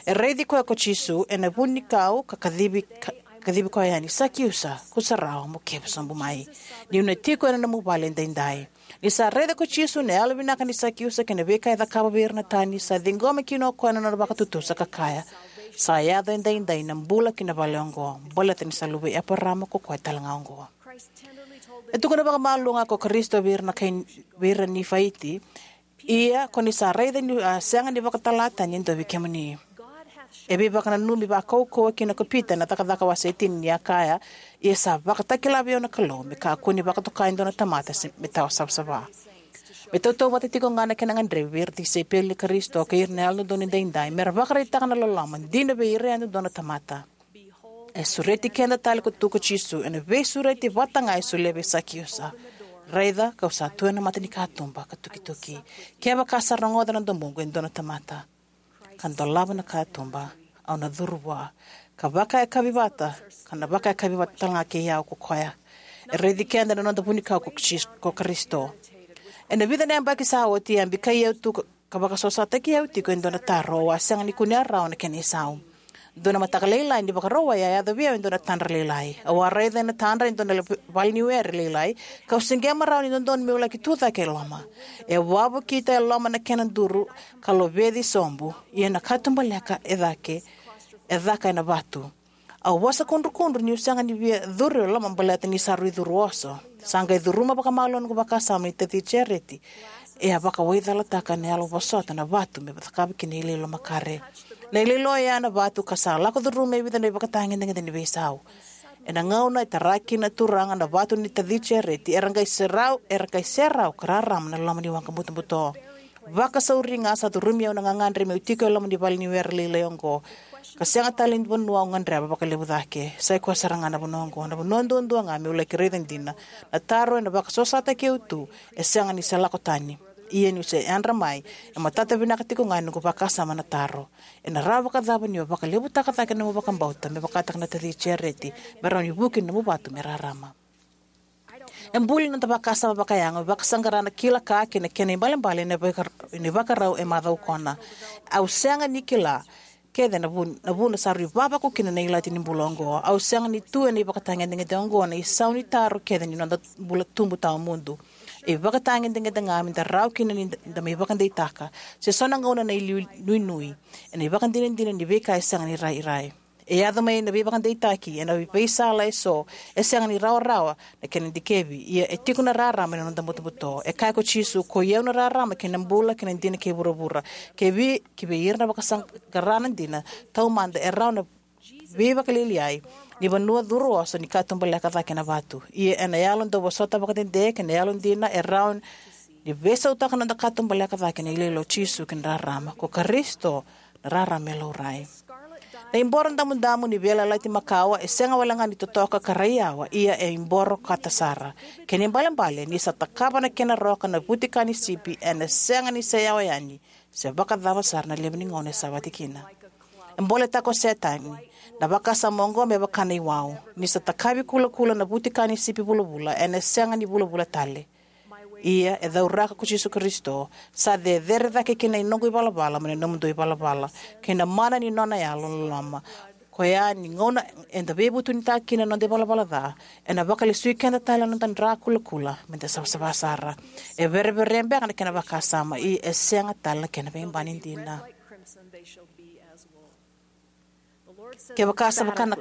E raici koya ko Jisu ena vunikau ka kacivi ka-, kacivi koya yani, "Sakiusa, kusarawa mo kevu sobu mai. Niu na tiko ena nomu vale edaidai." Ni sa raica ko Jisu na yalovinaka nei Sakiusa kei na veika e cakava vei ira na tani, sa ciqoma kina o koya na nona vakatutusa ka kaya, "Sa yaco edaidai na bula ki na vale oqo, baleta ni sa luve i Eparama ko koya tale ga oqo." E tukuna vakamalua ga ko Karisito vei ira na kai, vei ira na Nifaiti, "Ia ko ni sa raica niu a sega ni vakatala tani e dua vei kemuni." E veivakananumi vakaukauwa kina ko Pita ena Cakacaka wase tini ni a kaya, "Ia sa vakatakila vei au na Kalou me kakua ni vakatoka e dua na tamata se me tawa savasava." Me tautauvata tiko ga na kena gadrevi vei ira na tisaipeli i Karisito kei ira na Yalododonu Edaidai, me ra vakaraitaka na loloma dina vei ira yadudua na tamata. E sureti keda tale tu ko Jisu ena veisureti vata ga e solia vei Sakiusa: "Raica, kau sa tu ena mata ni katuba ka tukituki. Kevaka sa rogoca na domoqu e dua na tamata, ka dolava na katuba, au na curu vua, ka vakayakavi vata, ka na vakayakavi vata tale ga kei au ko koya." E raici keda na noda vunikau ko Jis-, ko Karisito. Ena vica na yabaki sa oti, e a bikai au tu ka, ka vakasosomitaki au tiko e dua na taro au a sega ni kunea rawa na kena isau. Dua na mataka lailai ni Vakarauwai, a yaco vei au e dua na tadra lailai. Au a raica ena tadra e dua na le-, valeniwere lailai, kau siqema rawa ni dodonu meu laki tucake e loma. E wavokita e loma na kena duru ka loveci sobu, ia na katuba leka e cake, e caka ena vatu. Au vosa kudrukudru niu sega ni via curu e loma baleta ni sa rui curu oso. Sa qai curuma vakamalua noqu vakasama ni taci Jareti e a vakawaicalataka ena yalo vosota na vatu me cakava kina na iloilo makare. Na iloilo oya na vatu ka sa lako curuma e vica na ivakatagedegede ni veisau. Ena gauna e tara kina na Turaga na vatu ni taci Jareti, era qai serau, era qai serau ka rarama na loma ni waqa butobuto. Vakasauri ga sa curumi au na gagadre meu tiko e loma ni valeniwere lailai oqo, ka sega tale ni vanua au gadreva vakalevu cake. Sa i koya sara ga na vanua oqo, na vanua duadua ga meu laki raica dina. Na taro ena vakasosomitaki au tu e sega ni se lako tani. Ia niu se yadra mai, e matata vinaka tiko ga ena noqu vakasama na taro: "Ena rawa vakacava ni o vakalevutaka cake na nomu vakabauta me vakataka na taci Jareti, me rawa ni vuki na nomu vatu me rarama?" E buli na noda vakasama vakayago, vakasaqara na kila ka kei na kena ibalebale ena ivakar-, ena ivakarau e macaukona. Au sega ni kila kece na vun-, na vuna sa rui vavaku kina na ilati ni bula oqo. Au sega ni tu ena ivakatagedegede oqo na isau ni taro kece ni noda bula tubu tawamudu. E ivakatagedegede ga meda rawa kina ni da, da mai vakadeitaka, se so na gauna na iliuliu nuinui, ena ivakadinadina ni veika e sega ni rairai. E yaco mai na veivakadeitaki ena veisala eso e sega ni rawarawa na kena dikevi, ia e tiko na rarama ena noda butobuto. E kaya ko Jisu: "Koi au na rarama kei na bula kei na dina kei vuravura. Kei vei, kei vei ira na vakasaqara na dina taumada e rawa na veivakalialiai ni vanua curu oso ni katuba leka cake ena vatu. Ia ena yalo dauvosota vakadede kei na yalodina e rawa ni veisautaka na noda katuba leka cake ena iloilo o Jisu kei na rarama. Ko Karisito na rarama e laurai." Na iboro damudamu ni veiyalayalati makawa e sega wale ga ni totoka ka raiyawa, ia e iboro koto sara. Kena ibalebale, ni sa takava na kena roka na vutika ni sipi, ena sega ni se yawa yani, se vakacava sara na levu ni gauna e savati kina. E boletaka o Setani na vakasama oqo me vaka na iwau. Ni sa takavi kulakula na vutika ni sipi vulavula, ena sega ni vulavula tale. Ia e cauraka ko Jisu Karisito, sa cecere cake kina na noqu ivalavala mai na nomudou ivalavala, kei na mana ni nona yalo loloma. Koya ni gauna eda veivutunitaka kina na noda ivalavala ca, ena vakalesui keda tale na noda dra kulakula meda savasava sara. E verevere beka na kena vakasama, ia e sega tale na kena veibani dina. Kevaka sa vaka na,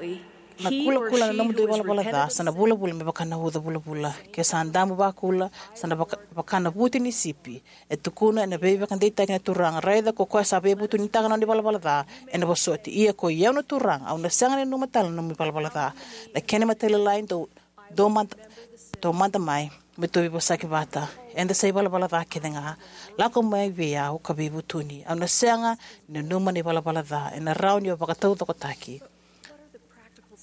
na kulakula na nomudou ivalavala ca, sa na vulavula me vaka na uca vulavula. Ke sa damu vakula, sa na vaka, vaka na vuti ni sipi. E tukuna ena veivakadeitaki na Turaga: "Raica, ko koya sa veivutunitaka na nona ivalavala ca, ena vosoti. Ia koi au na Turaga, au na sega ni nanuma tale na nomu ivalavala ca." Na kena matailalai, dou, dou mada, dou mada mai, me tou veivosaki vata. Eda sa ivalavala ca kece ga. Lako mai vei au ka veivutuni. Au na sega ni nanuma na ivalavala ca, ena rawa ni o vakataucokotaki.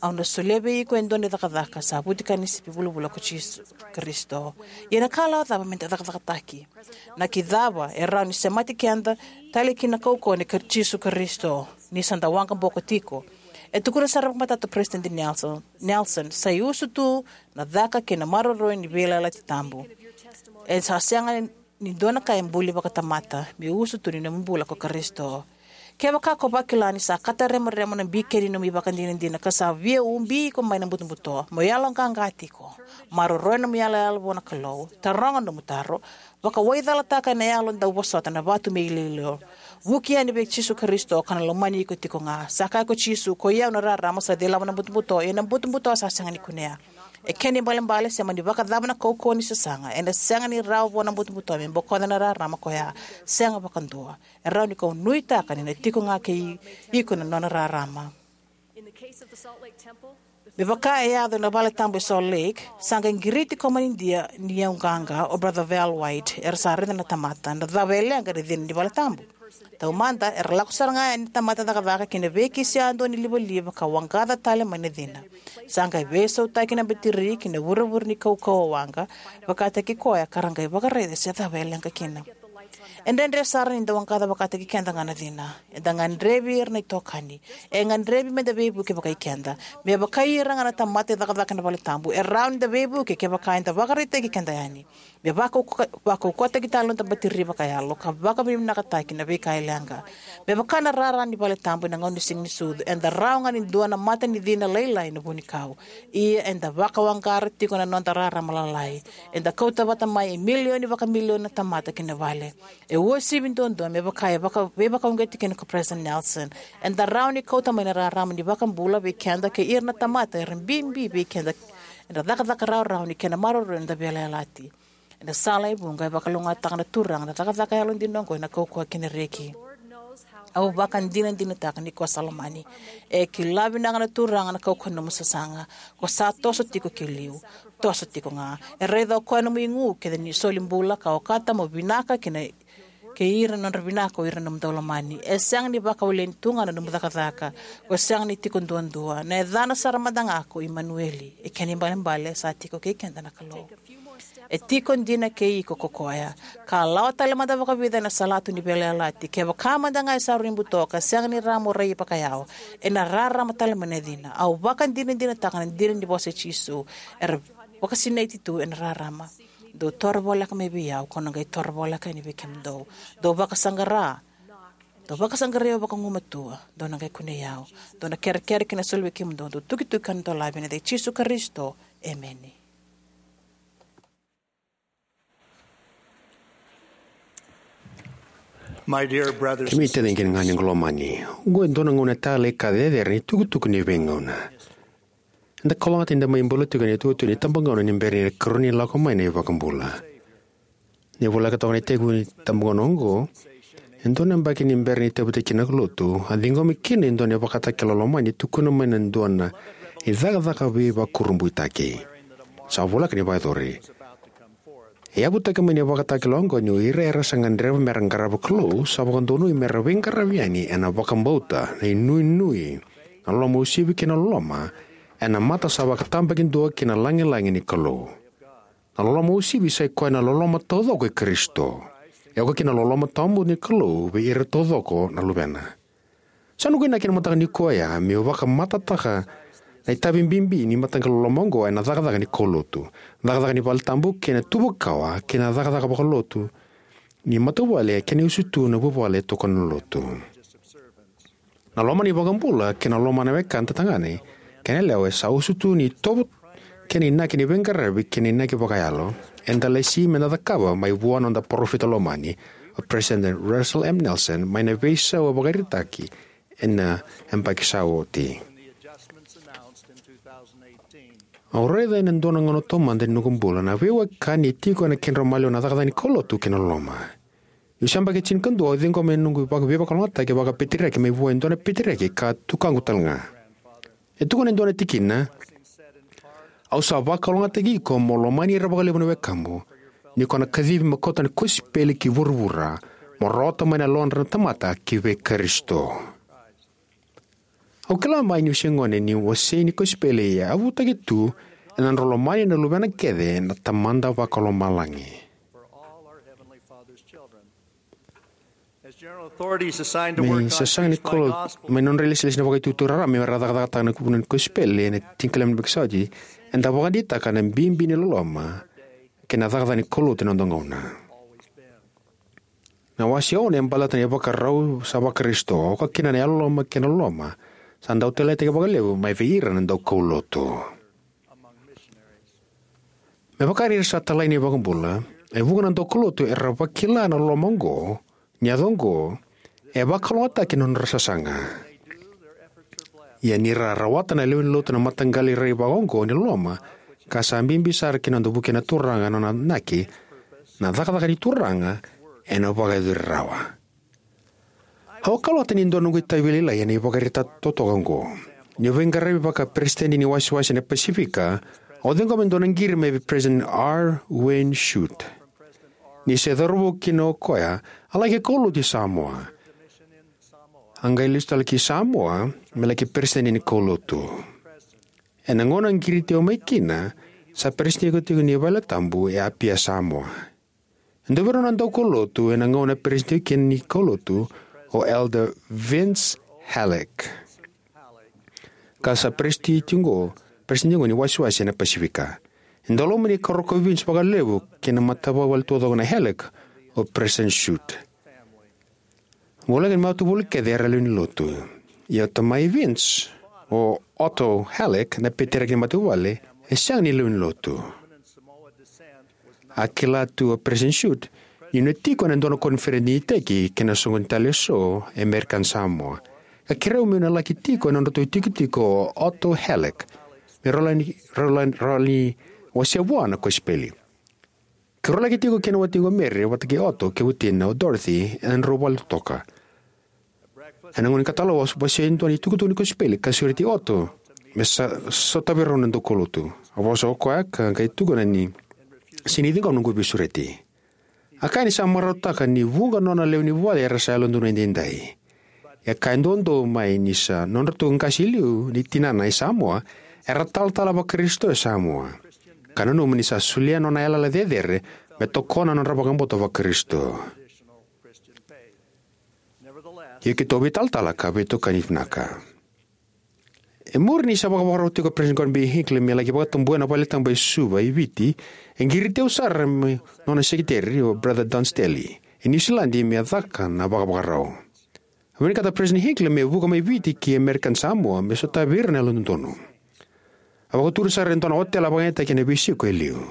Au na solia vei iko e dua na cakacaka, sa vutika ni sipi vulavula ko Jisu Karisito. Ia na ikalawa cava meda cakacakataki? Na ka cava e rawa ni semati keda tale ki na kaukauwa nei Jisu Karisito ni sa da waqaboko tiko? E tukuna sara vakamatata o Peresitedi Nelson, Nelson, sa iusutu na caka kei na maroroi ni veiyalayalati tabu. E sa sega ni dua na ka e buli vakatamata, me iusutu ni nomu bula ko Karisito. Kevaka ko vakila ni sa kataremarema na bikeni ni nomu ivakadinadina ka sa via ubi iko mai na butobuto, mo yaloqaqa tiko. Maroroya nomu iyaloyalo vua na Kalou, taroga nomu taro, vakawaicalataka ena yalo dauvosota na vatu me iloilo. Vuki yani vei Jisu Karisito ka na lomani iko tiko ga. Sa kaya ko Jisu: "Koi au na rarama sa cilava na butobuto, ia na butobuto sa sega ni kunea." E kena ibalebale, se mani vakacava na kaukauwa ni sasaga, ena sega ni rawa vua na butobuto me bokoca na rarama koya. Sega vakadua. E rawa ni ko nuitaka ni na tiko ga kei iko na nona rarama. Me vaka e yaco ena valetabu e Salt Lake, sa qai qiriti ko manidia ni yau qaqa o Brother Val White, era sa raica na tamata, na cava e leqa ni cina ni valetabu. Taumada, era lako sara ga yani na tamata cakacaka ki na veikisi yadua ni livaliva ka waqaca tale mai na cina. Sa qai veisautaki na batiri ki na vurevure ni kaukauwa waqa, vakataki koya ka ra qai vakaraica se cava e leqa kina. E dredre sara ni da waqaca vakataki keda ga na cina. Eda gadrevi ira na itokani. E gadrevi meda veivuke vakai keda. Me vakai ira ga na tamata e cakacaka ena valetabu, e rawa ni da veivuke kevaka eda vakaraitaki keda yani. Me vakauka-, vakaukauwataki tale na noda batiri vakayalo, ka vakavinavinakataki na veika e leqa. Me vaka na rara ni valetabu ena gauna ni Siga ni Sucu, eda rawa ga ni dua na mata ni cina lailai ena vunikau. Ia eda vakawaqara tiko na noda rarama lalai. Eda kauta vata mai e milioni vakamilioni na tamata ki na vale. E uasivi duadua me vaka e vaka, veivakauqeti kina ko President Nelson. Eda rawa ni kauta mai na rarama ni iVakabula vei keda kei ira na tamata era bibi vei keda ena cakacaka rawarawa ni kena maroroi na noda veiyalayalati. Ena sala e vuqa e vakalougatataka na Turaga na cakacaka yalodina oqo ena kaukauwa kei na reki. Au vakadinadinataka ni ko sa lomani. E kila vinaka na Turaga na kaukauwa ni nomu sasaga. Ko sa toso tiko ki liu. Toso tiko ga. E raica o koya nomu igu kece ni soli bula ka okata mo vinaka kei na, kei ira na nodra vinaka o ira na nomu daulomani. E sega ni vakawaleni tu ga na nomu cakacaka. Ko sega ni tiko duadua. Na yacana sara mada ga ko Imanueli. E kena ibalebale sa tiko kei keda na Kalou. E tiko dina kei iko ko koya. Ka lawa tale mada vakavica ena salatu ni veiyalayalati. Kevaka mada ga e sa rui buto ka sega ni rawa mo rai vakayao, ena rarama tale mai na cina. Au vakadinadinataka na dina ni vosa i Jisu. Era vakasinaiti tu ena rarama. Dou toro voleka mai vei au, kau na qai toro voleka yani vei kemudou. Dou vakasaqara. Dou vakasaqarai au vakagumatua. Dou na qai kunei au. Dou na kerekere kei na soli vei kemudou. Dou tukituki ka na dolavi ena yaca i Jisu Karisito. Emeni. My dear brothers Kemuni and taciqu kei na ganequ lomani, oqo e dua na gauna talei ka cecere ni tukutuku ni veigauna. Eda kalougata ni da mai bula tiko ena itutu ni itabagauna ni bera ni karua ni lako mai na iVakabula. Ni voleka toka na itekivu ni itabagauna oqo, e dua na yabaki ni bera ni tauvitaki kina na lotu, a ciqomi kina e dua na ivakatakila lomani e tukuna mai na dua na icakacaka veivakurabuitaki. Sa voleka ni vakayacori. E yavutaki mai na ivakatakila oqo ni o ira era sa gadreva mera qarava Kalou sa vakadonui mera veiqaravi yani ena vakabauta, na inuinui, na loloma uasivi kei na loloma ena mata sa vakatabakidua kei na lagilagi ni Kalou. Na loloma uasivi sa i koya na loloma taucoko i Karisito. E oka kina na loloma tawamudu ni Kalou vei ira taucoko na luvena. Sa noqu inaki ena mataka nikua oya meu vakamatatataka na itavi bibi ni mataqali loloma oqo ena cakacaka ni kaulotu, cakacaka ni valetabu kei na tuva kawa kei na cakacaka vakalotu ni matavuvale kei na iusutu na vuvale e tokona na lotu. Na loma ni iVakabula kei na loma na wekada tagane kei na yalewa e sa usutu ni itovo kei na inaki ni veiqaravi kei na inaki vakayalo. Eda lesi meda cakava mai vua na noda parofita lomani, o President Russell M. Nelson, mai na veisau a vakaraitaki ena yabaki sa oti. Au raica ena dua na gauna taumada ni noqu bula na veiwekani e tiko ena kedrau maliwa na cakacaka ni kaulotu kei na loloma. Niu se yabaki tinikadua au ciqoma ena noqu vaka-, veivakalougatataki vakapeteriaki mai vua e dua na peteriaki ka tukaqu talega. E tukuna e dua na tikina, au sa vakalougatataki iko mo lomani ira vakalevu na wekamu, ni ko na kacivi mo kauta na kosipeli ki vuravura, mo rawata mai na yalodra na tamata ki vei Karisito. Au kila mai niu se gone ni wasei ni kosipeli e yavutaki tu ena nodra lomani na luvena kece na Tamada Vakalomalagi. Me sasaga ni kolo, mai nodra ilesilesi na vakaitutu raraba me ra cakacakataka na kuvuna ni kosipeli ena tinikalima na vakasaoti, eda vakadeitaka na bibi ni loloma kei na cakacaka ni kaulotu ena noda gauna. Na wase ono e baleta na ivakarau sa vaKarisito, oka kina na yalololoma kei na loloma, sa dau taleitaki vakalevu mai vei ira na daukaulotu. Me vaka ni ra sa talai na iVakabula, e vuqa na daukaulotu era vakila na loloma oqo, ni yaco oqo, e vakalougatataki na nodra sasaga. Ia ni ra rawata na lewe ni lotu na mataqali rai vakaoqo ni loloma, ka sa bibi sara ki na noda vukei na Turaga na nona inaki, na cakacaka ni Turaga ena vakayacori rawa. Au kalougata ni dua noqu itavi lailai ena ivakaraitaki totoka oqo. Niu veiqaravi vaka peresitedi ni wasewase na Pasifika, au ciqoma e dua na qiri mai vei President R. Wayne Shute. Ni se cauravou kina o koya, a laki kaulotu i Samoa. A qai lesu tale ki Samoa me laki peresitedi ni kaulotu. Ena gauna a qiriti au mai kina, sa peresitedi tiko ni valetabu e Apia, Samoa. E dua vei rau na daukaulotu ena gauna a peresitedi kina ni kaulotu, o Elder Vince Halleck, ka sa peresitedi tiko, peresitedi tiko ni wasewase na Pasifika. E dau lomani Karoka Vince vakalevu kei na matavuvale taucoko na Halleck, o President Shute. Voleka ni matavuvale kece era lewe ni lotu. Ia o tamai Vince, o Otto Halleck, na peteriaki ni matavuvale, e sega ni lewe ni lotu. A kila tu o President Shute ni na tiko ena dua na koniferedi ni iteki kei na soqoni tale eso e American Samoa, ka kerea au meu na laki tiko ena nodratou itikotiko o Otto Halleck, me rau laki, rau laki, rau laki wasea vua na kosipeli. Keirau laki tiko kei na watiqu o Mary vata kei Otto kei watina o Dorothy ena nodrau vale totoka. Ena gauna ni katalo, a vosa e dua na itukutuku ni kosipeli ka sureti Otto me sa, sotavi rau na daukaulotu. A vosa o koya ka qai tukuna ni sega ni ciqoma noqu veisureti. A kaya ni sa marautaka ni vuqa nona lewe ni vuvale era sa yalododonu edaidai. E kaya duadua mai ni sa nodratou qase e liu ni tinana e Samoa era talatala vaKarisito e Samoa, ka nanuma ni sa solia nona yalayala cecere me tokona na nodra vakabauta vaKarisito. Ia keitou veitalatala ka veitokani vinaka. E muri ni sa vakavakarau tiko o President Gordon B. Hinckley me laki vakatabuya na valetabu e Suva e Viti, e qiriti au sara me nona sekeriteri, o Brother Don Staley, e Niusiladi, me caka na vakavakarau. A vinakata o President Hinckley me vuka mai Viti ki American Samoa me sotavi ira na yalododonu. A vakaturi sara e dua na otela vakayagataki ena veisiko e liu.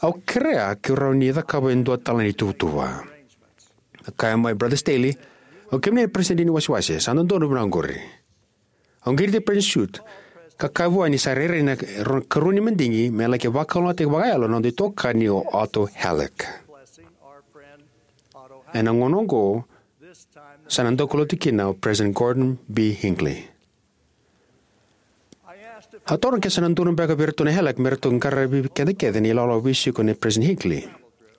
Au kerea keirau ni cakava e dua tale na ituvatuva. A kaya mai Brother Staley, "O kemuni na peresitedi ni wasewase, sa dodonu vinaka oqori." Au qiriti President Shute ka kaya vua ni sa rairai na ro-, karua ni madigi me laki vakalougatataki vakayalo na noda itokani o Otto Halleck. Ena gauna oqo, sa na daukaulotu kina o President Gordon B. Hinckley. Au taroga ke sa na dodonu beka vei iratou na Halleck me ratou qaravi keda kece ena ilawalawa veisiko nei President Hinckley.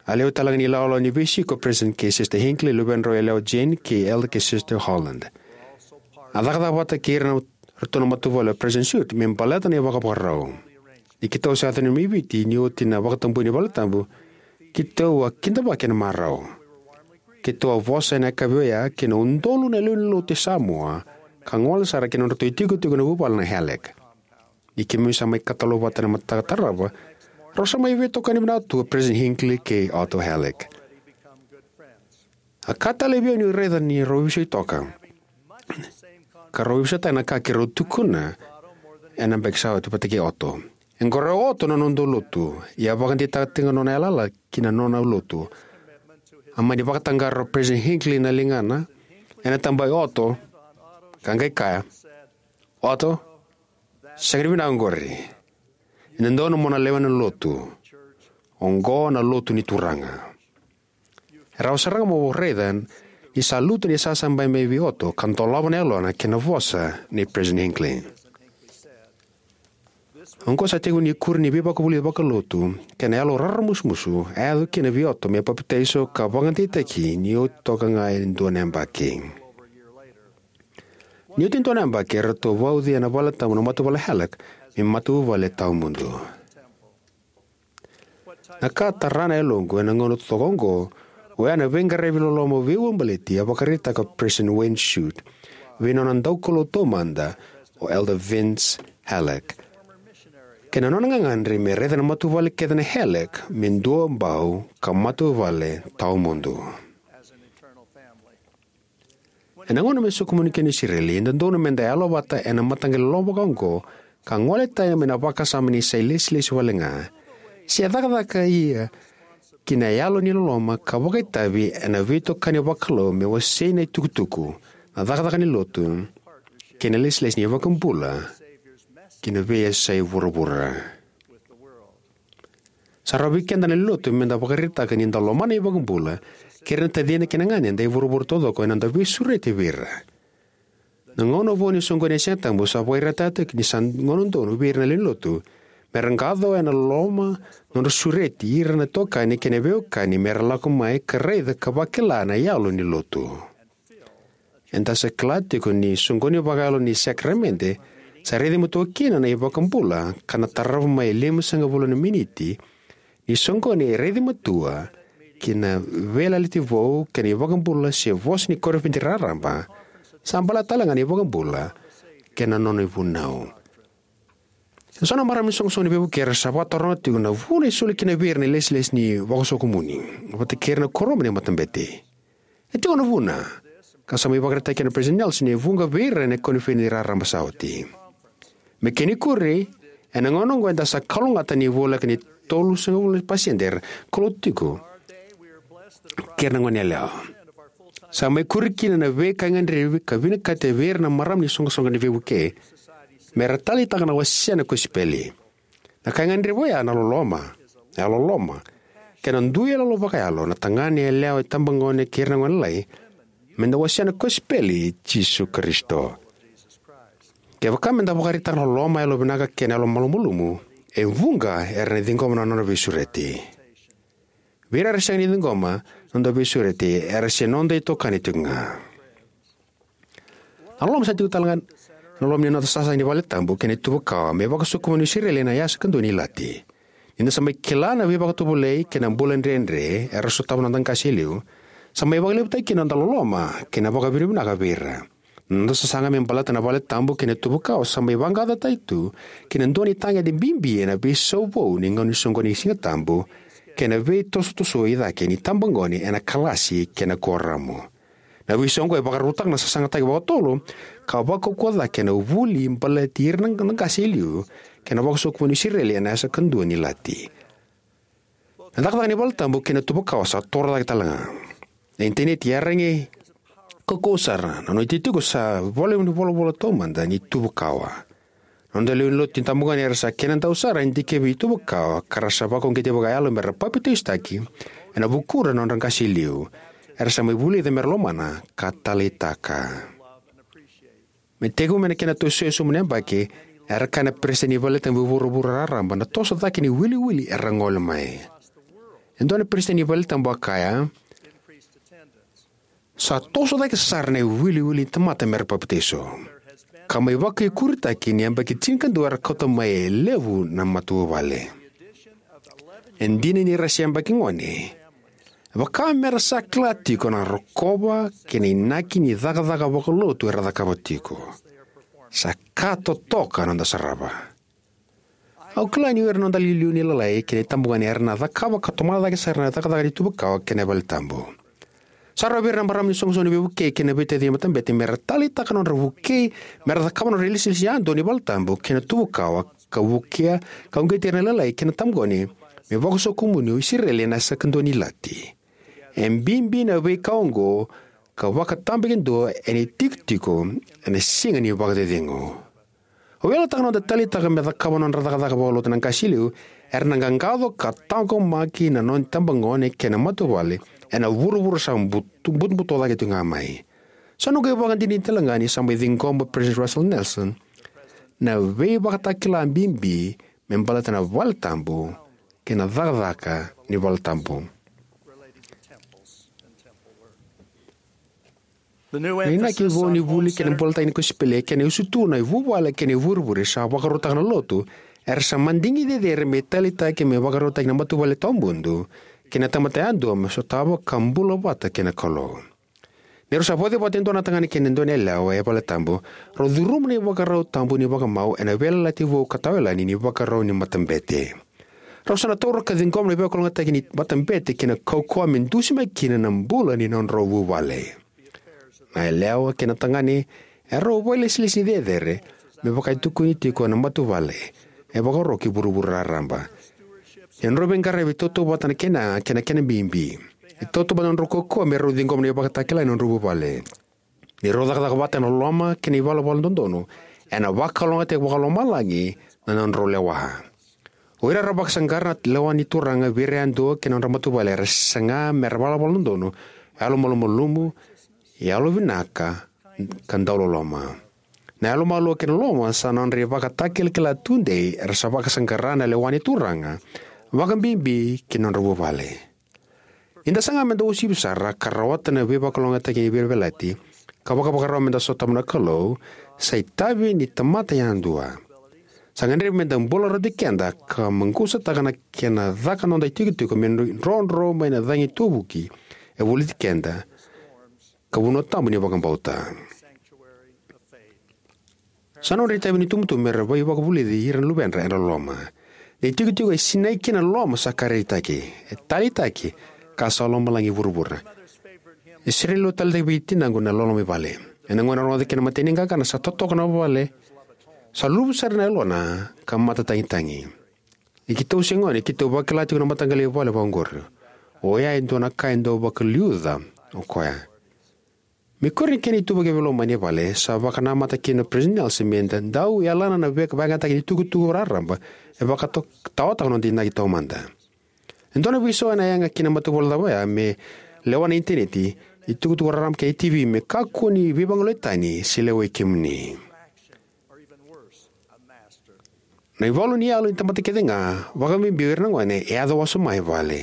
A lewe talega ni ilawalawa ni veisiko o President kei Sister Hinckley, luvedrau yalewa Jane, kei Elder kei Sister Holland. A cakacaka vata kei ira na, ratou na matavuvale o President Shute me baleta na ivakavakarau. Ni keitou sa yaco mai Viti ni oti na vakatabui ni valetabu, keitou a kidavaki ena marau. Keitou a vosa ena yakavi oya kei na udolu na lewe ni lotu e Samoa, ka gole sara ki na nodratou itikotiko ena vuvale na Halleck. Ni keimami sa mai katalo vata ena mataka tarava, rau sa mai veitokani vinaka tu o President Hinckley kei Otto Halleck. A ka talei vei au niu raica ni rau veivosaki toka, ka rau veivosaitaka na ka keirau tukuna ena yabaki sa oti vata kei Otto. E qoroya o Otto na nodatou lotu, ia a vakadeitaka tiko ga na nona yalayala ki na nona lotu. A mani vakataqara o President Hinckley na ligana ena taba i Otto, ka qai kaya, "Otto, sega ni vinaka oqori. E dodonu mo na lewena na lotu. Oqo na lotu ni Turaga." E rawa sara ga mo raica ni sa lutu na isasabai mai vei Otto ka dolava na yalona kei na vosa nei President Hinckley. Oqo sa tekivu na ikuri ni veivakavulici vakalotu kei na yalo raramusumusu a yaco kina vei Otto me papitaiso ka vakadeitaki ni oti toka ga e dua na yabaki. Ni oti e dua na yabaki, eratou vauci ena valetabu na matavuvale Halleck me matavuvale tawamudu. Na ka tara na yaloqu ena gauna totoka oqo, oya na veiqaravi loloma veiuabaleti a vakaraitaka o President Wayne Shute vei nona daukaulotu taumada, o Elder Vince Halleck, kei na nona gagadre me raica na matavuvale kece na Halleck me duabau ka matavuvale tawamudu. Ena gauna me sokumuni kina o Isireli, e dodonu meda yalo vata ena mataqali loloma vaka oqo, ka gole tani mai na vakasama ni sa ilesilesi wale ga, se cakacaka ia ki na yalo ni loloma ka vakaitavi ena veitokani vakalou me wasei na itukutuku, na cakacaka ni lotu, kei na ilesilesi ni iVakabula ki na veiyasai vuravura. Sa rawa vei keda na lewe ni lotu meda vakaraitaka ni da lomana na iVakabula kei ira na tacina kei na ganeda e vuravura taucoko ena noda veisureti vei ira. Na gauna vou ni soqoni e Siga Tabu sa vakaraitaka ni sa gauna donu vei ira na lewe ni lotu me ra qaqaco ena loloma, nodra sureti ira na itokani kei na veiwekani me ra lako mai ka raica ka vakila na yalo ni lotu. Eda sa kila tiko ni soqoni vakayalo ni sakaramede sa raici matua kina na iVakabula ka na tarava mai e limasagavulu na miniti ni soqoni e raici matua ki na Veiyalayalati Vou kei na iVakabula se vosa ni koniferedi raraba, sa baleta talega na iVakabula kei na Nona ivunau. E so na marama ni iSoqosoqo ni Veivuke era sa vakataroga tiko na vuna e soli kina vei ira na ilesilesi ni vakasokomuni vata kei ira na kuoramu ni matabete. E tiko na vuna ka sa mai vakaraitaka kina o President Nelson e vuqa vei ira ena koniferedi raraba sa oti. Me kena ikuri, ena gauna oqo eda sa kalougata ni voleka ni tolusagavulu na pasede era kaulotu tiko kei ira na goneyalewa. Sa mai kuri kina na veika e gadrevi ka vinakati vei ira na marama ni iSoqosoqo ni Veivuke me ra taleitaka na wasea na kosipeli. Na ka e gadrevi oya na loloma, na yalololoma, kei na dui yaloyalo vakayalo na tagane, yalewa, itabagone kei ira na gonelalai, me da wasea na kosipeli i Jisu Karisito. Kevaka me da vakaraitaka na loloma, yalovinaka kei na yalomalumalumu, e vuqa era na ciqoma na nona veisureti. Vei ira era sega ni ciqoma na noda veisureti, era se noda itokani tiko ga. Na loloma sa tiko talega ena loma ni noda sasaga ni valetabu kei na tuva kawa me vakasokumuni o Isireli ena yasa kadua ni ilati. Ni da sa mai kila na veivakatovolei kei na bula dredre era sotava na noda qase e liu, sa mai vakalevutaki kina na noda loloma kei na vakavinavinaka vei ira. Na noda sasaga me baleta na valetabu kei na tuva kawa sa mai vaqaqacotaki tu ki na dua na itagede bibi ena veisau vou ni gauna ni soqoni ni Siga Tabu kei na veitosotoso i cake ni itabagone ena kalasi kei na kuoramu. Na veisau oqo e vakarautaka na sasagataki vakatotolo ka vakaukauwa cake ena vuli baleti ira na qase e liu kei na vakasokumuni o Isireli ena yasa kadua ni ilati. Na cakacaka ni valetabu kei na tuva kawa sa toro cake talega. Na initaneti e yaragi kaukauwa sara. Na nona itikotiko sa ivola ni volavola taumada ni tuva kawa. Na noda lewe ni lotu ni itabagone era sa kenadau sara na dikevi ni tuva kawa ka ra sa vakauqeti vakayalo me ra papitaisotaki ena vukudra na nodra qase e liu era sa mai vulica me ra lomana ka taleitaka. Me tekivu mai na kena tosoya sobu na yabaki, era kaya na peresitedi ni valetabu e vuravura raraba na toso cake ni wiliwili era gole mai. E dua na peresitedi ni valetabu a kaya, sa toso cake sara na iwiliwili ni tamata me ra papitaiso, ka mai vakaikuritaki ni yabaki tinikadua era kauta mai e levu na matavuvale. E dina ni ra se yabaki gone, e vaka me ra sa kila tiko na rokova kei na inaki ni cakacaka vakalotu era cakava tiko. Sa ka totoka na noda sarava. Au kila ni o ira na noda iliuliu ni lalai kei na itabagone era na cakava ka tomana cake sara na cakacaka ni tuva kawa kei na valetabu. Sa rawa vei ira na marama ni iSoqosoqo ni Veivukei kei na veitacini ni matabete me ra taleitaka na nodra vukei me ra cakava na nodra ilesilesi yadua ni valetabu kei na tuva kawa ka vukea ka uqeti ira na lalai kei na itabagone me vakasokumuni o Isireli ena yasa kadua ni ilati. E bibi na veika oqo ka vakatabakidua ena itikotiko ena siga ni vakacecegu. Au yalataka na noda taleitaka me cakava na nodra cakacaka vakalotu na qase e liu era na qaqaco ka taqomaki na nona itabagone kei na matavuvale ena vuravura sa butu- butobuto cake tiko ga mai. Sa noqu ivakadinadina talega ni sa mai ciqoma o President Russell Nelson na veivakatakila bibi me baleta na valetabu kei na cakacaka ni valetabu. Na inaki vou ni vuli kei na bulataki ni kosipeli kei na iusutu na vuvale kei na ivurevure sa vakarautaka na lotu era sa madigi cecere me taleitaki me vakarautaki na matavuvale tawamudu kei na tamata yadua me sotava ka bula vata kei na Kalou. Ni rau sa vauci vata e dua na tagane kei na dua na yalewa e valetabu, rau curuma na ivakarau tabu ni vakamau ena Veiyalayalati Vou ka Tawayalani ni Vakarau ni Matabete. Rau sa na taura ka ciqoma na veivakalougatataki ni matabete kei na kaukauwa me dusimaki kina na bula ni nodrau vuvale. Na yalewa kei na tagane erau vakailesilesi cecere me vaka e tukuni tiko na matavuvale e vakaro ki vuravura raraba. Ni nodrau veiqaravi e tautauvata na kena yaga kei na kena bibi. E tautauvata na nodrau kaukauwa me rau ciqoma na ivakatakila ni nodrau vuvale. Ni rau cakacaka vata ena loloma kei na ivalavala dodonu, ena vakalougatataki vakalomalagi na nodrau lewa. O ira era vakasaqara na lewa ni Turaga vei ira yadua kei na nodra matavuvale era saga me ra valavala dodonu, yalomalumalumu, yalovinaka, ka dauloloma. Na yalomalua kei na loloma sa nodra ivakatakilakila tudei era sa vakasaqara na lewa ni Turaga, vakabibi ki na nodra vuvale. Ni da saga me da uasivi sara ka rawata na veivakalougatataki ni veiyalayalati ka vakavakarau me da sotava na Kalou, sa itavi ni tamata yadua. Sa gadrevi me da bula rauti keda ka maqusataka na kena caka noda itikotiko me drodro mai na cagi tovuki e voliti keda, ka vanua tabu ni vakabauta. Sa nodra itavi na itubutubu me ra veivakavulici ira na luvedra ena loloma. Na itikotiko e sinai kina na loloma sa karaitaki, e taleitaki, ka sa lomalagi vuravura. E sere lewa taleitaki vei tinaqu na loloma i vale. Ena gauna rogoca kina na imatai ni qaqana sa totoka na vale, sa luvu sara na yalona ka matatagitagi. Ni keitou se gone, keitou vakila tiko na mataqali vale vaqori. Oya e dua na ka e dau vakaliuca o koya. Me kuri ni kena ituvaki veilomani e vale, sa vakanamata kina o President Nelson me da dau yalana na vaka- vakayagataki ni tukutuku raraba e vakatawataka noda inaki taumada. E dua na veisau ena yaga kina matavuvale cava oya me lewa na initaneti, itukutuku raraba kei na T V me kakua ni veivagolei tani se lewai kemuni. Na ivalu ni yalo ni tamata kece ga, vakabibi o ira na gone, e yaco wasoma e vale.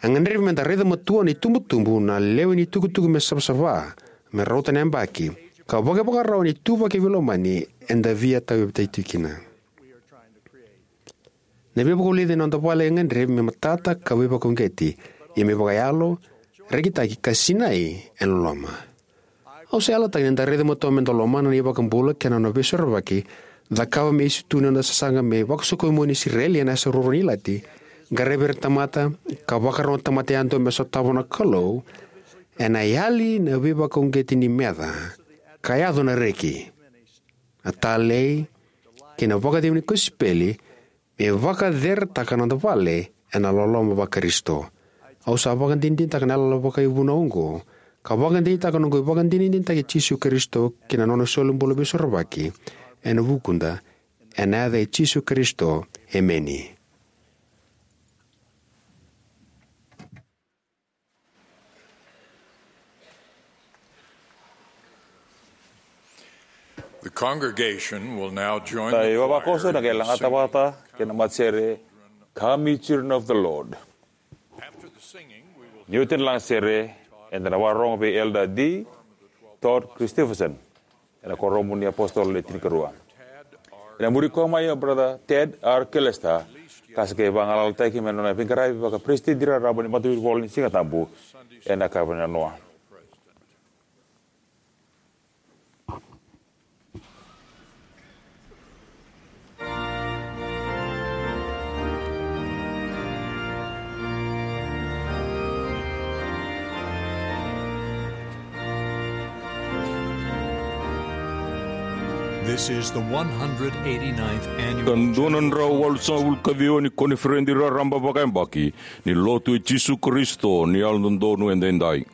E gadrevi me da raica matua na itubutubu na lewe ni tukutuku me savasava, me rauta na yabaki, ka vakaivakarau ni ituvaki veilomani eda via tauyavutaki tiko kina. Na veivakavulici ena noda vale e gadrevi me matata ka veivakauqeti, ia me vakayalo, rekitaki ka sinai ena loloma. Au sa yalataka ni da raica matua me da lomana na iVakabula kei na nona veisorovaki, cakava me isu tu na noda sasaga me vakasokomuni Isireli ena yasa ruarua ni ilati, qaravi ira na tamata, ka vakarau na tamata yadua me sotava na Kalou, ena yali na veivakauqeti ni meca, ka yaco na reki, na talei, kei na vakacegu ni kosipeli, me vakaceretaka na noda vale ena loloma vaKarisito. Au sa vakadinadinataka na yalayala vakaivunau oqo, ka vakadinadinataka noqu ivakadinadinataki Jisu Karisito kei na nona solibula veisorovaki ena vukuda, ena yaca i Jisu Karisito, emeni. The congregation will now join the choir in singing. Na ivavakoso ena qai lagata vata kei na matasere, "Come, ye children of the Lord." After the singing, we will hear from Elder Todd R. Killestad. Ni oti na lagasere, eda na vakarorogo vei Elder D. Todd Christofferson ena Kuoramu ni iApositolo Le Tinikarua. Ena muri koya mai o Brother Ted R. Killestad, ka sa qai vagalalataki mai na nona veiqaravi vakaperesitedi raraba ni Matavuvale ni Sigatabu ena yakavi ni nanoa. This is the one hundred eighty-ninth annual. Ka dua na drau walusagavulu ka ciwa ni koniferedi raraba vakayabaki ni Lotu i Jisu Karisito ni Yalododonu Edaidai.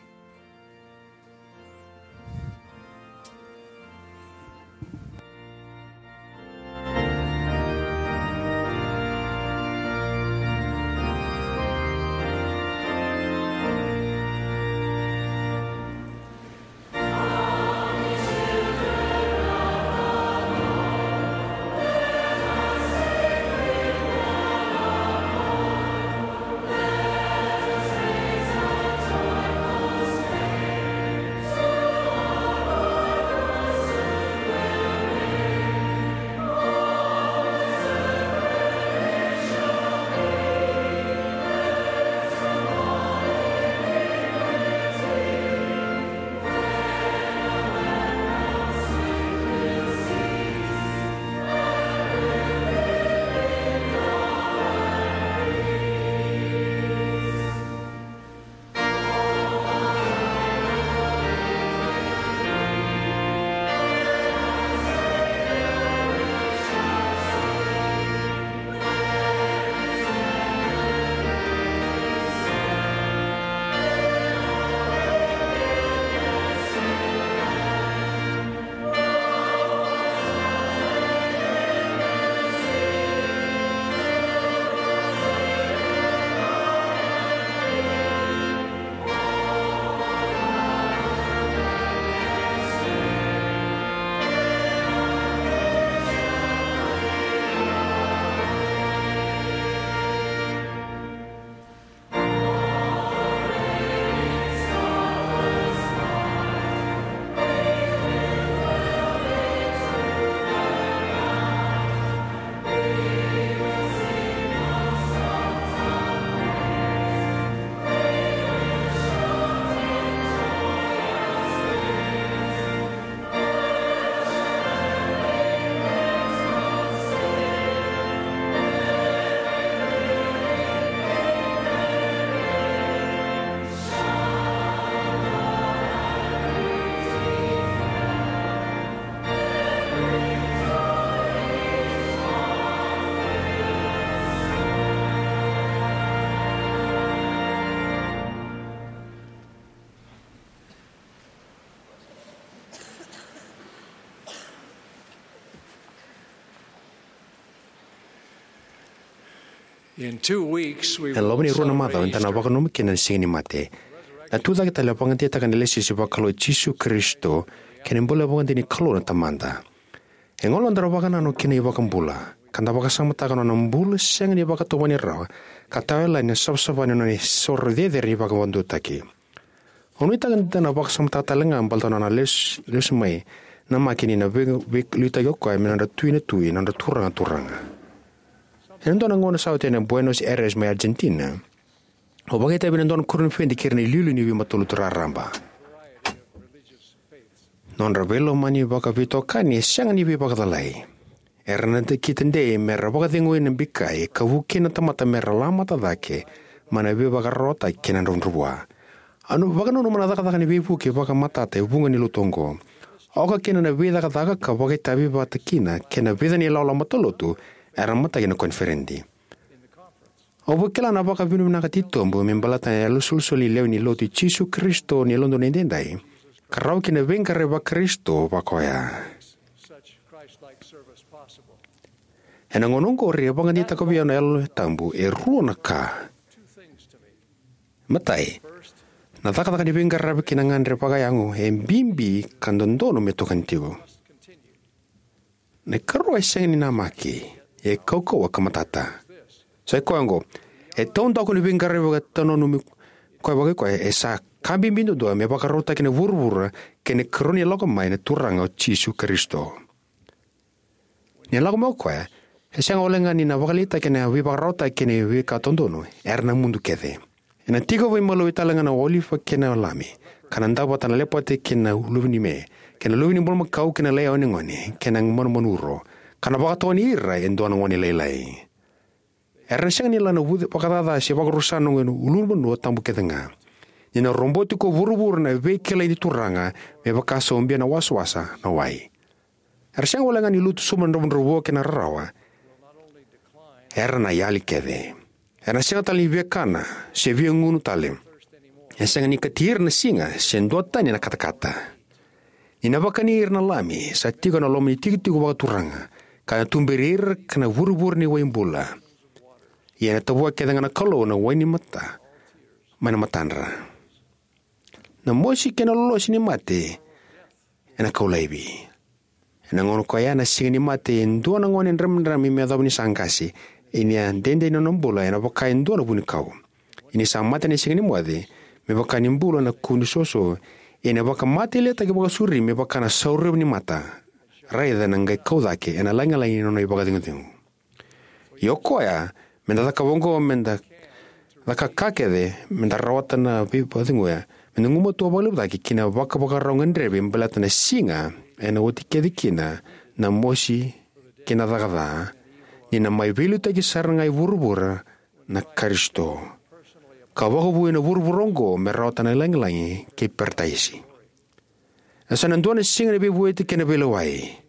In two weeks, we Ena loma ni rua na macawa eda na vakananuma kina na Siga ni Mate. Na tucake tale e vakadeitaka na ilesilesi vakalou i Jisu Karisito kei na bula vakaidina ni Kalou na Tamada. E gole na noda vakanananu ki na iVakabula ka da vakasamataka na nona bula sega ni vakatawani rawa, ka tawa yalani na savasava ni nona isoro cecere ni vakavakaduataki. Au nuitaka ni da na vakasamataka tale ga baleta na nona lesu, lesu mai na maki ni na vei, veiliutaki o koya me nodra Tui na tui, nodra Turaga na turaga. Ena dua na gauna sa oti ena Buenos Aires mai Argentina, au vakaitavi ena dua na koniferedi kei ira na iliuliu ni veimatalotu raraba. Nodra veilomani vakaveitokani e sega ni veivakacalai. Era na dau kitadei mera vakacegui na bikai ka vuki na tamata mera lamata cake mai na veivakararawataki kei na dravudravua. Au na vakananuma na cakacaka ni veivuke vakamatata e vuqa ni lotu oqo, oka kina na veicakacaka ka vakaitavi vata kina kei na vica na ilawalawa matalotu era mataki ena koniferedi. Au vakila na vakavinavinaka titobu me baleta na yalosolisolini lewe ni Lotu i Jisu Karisito ni Yalododonu Edaidai, ka rawa kina na veiqaravi vaKarisito vaka oya. Ena gauna oqori e vakadeitaka vei au na Yalo Tabu e rua na ka. Matai, na cakacaka ni veiqaravi kei na gagadre vakayago e bibi ka dodonu me tokani tiko. Na ikarua e sega ni namaki, e kaukauwa ka matata. Sa i koya oqo, e taudaku ni veiqaravi vakatananumi koya vakaikoya, e sa ka bibi duadua me vakarautaki na vuravura kei na ikarua ni lako mai na Turaga o Jisu Karisito. Ni lako mai o koya, e sega walega ni na vakaleitaki na veivakararawataki kei na veika dodonu, era na mudu kece. Ena tiko veimalua tale ga na olive kei na lami, ka na dau vata na lepate kei na luve ni me, kei na luve ni bulumakau kei na laione gone, kei na manumanu uro, ka na vakatokani ira e dua na gone lailai. Era na sega ni la na vuce vakacaca se vakarusa na gone ulunivanua tabu kece ga. Ni na roboti ko vuravura na veikilai ni Turaga, me vaka sa ubia na wasawasa na wai. Era sega walega ni lutu sobu na dravudravua kei na rarawa. Era na yali kece. Era na sega tale ni via kana, se via gunu tale. E sega ni kati ira na siga, se duatani na katakata. Ni na vakani ira na lami, sa tiko ena loma ni tikotiko vakaturaga, ka na tuberi ira ka na vurevure ni wai bula. Ia ena tavua kece ga na Kalou na wai ni mata, mai na matadra. Na mosi kei na lolosi ni mate, ena kau laivi. Ena gauna koya na Siga ni Mate, e dua na gone dramidrami me yacova ni sa qase, ia ni a dede na nona bula, ena vaka e dua na vunikau. Ia ni sa mate na siga ni moce, me vaka ni bula na ku ni soso, ia ena vakamatailetaki vakasauri, me vaka na saurava ni mata. Raica na qai kau cake, ena lagilagi ni nona ivakacegucegu. Ia o koya, me da cakava oqo, me da caka ka kece, me da rawata na veivakaceguya, me da gumatua vakalevu cake ki na vakavakarau gadrevi, baleta na siga, ena oti kece kina, na mosi, kei na caka ca, ni na mai veiliutaki sara ga i vuravura, na Karisito. Ka vakavouya na vuravura oqo, me rawata na lagilagi, kei Parataisi. E sa na dua na siga ni veivueti kei na veilewai.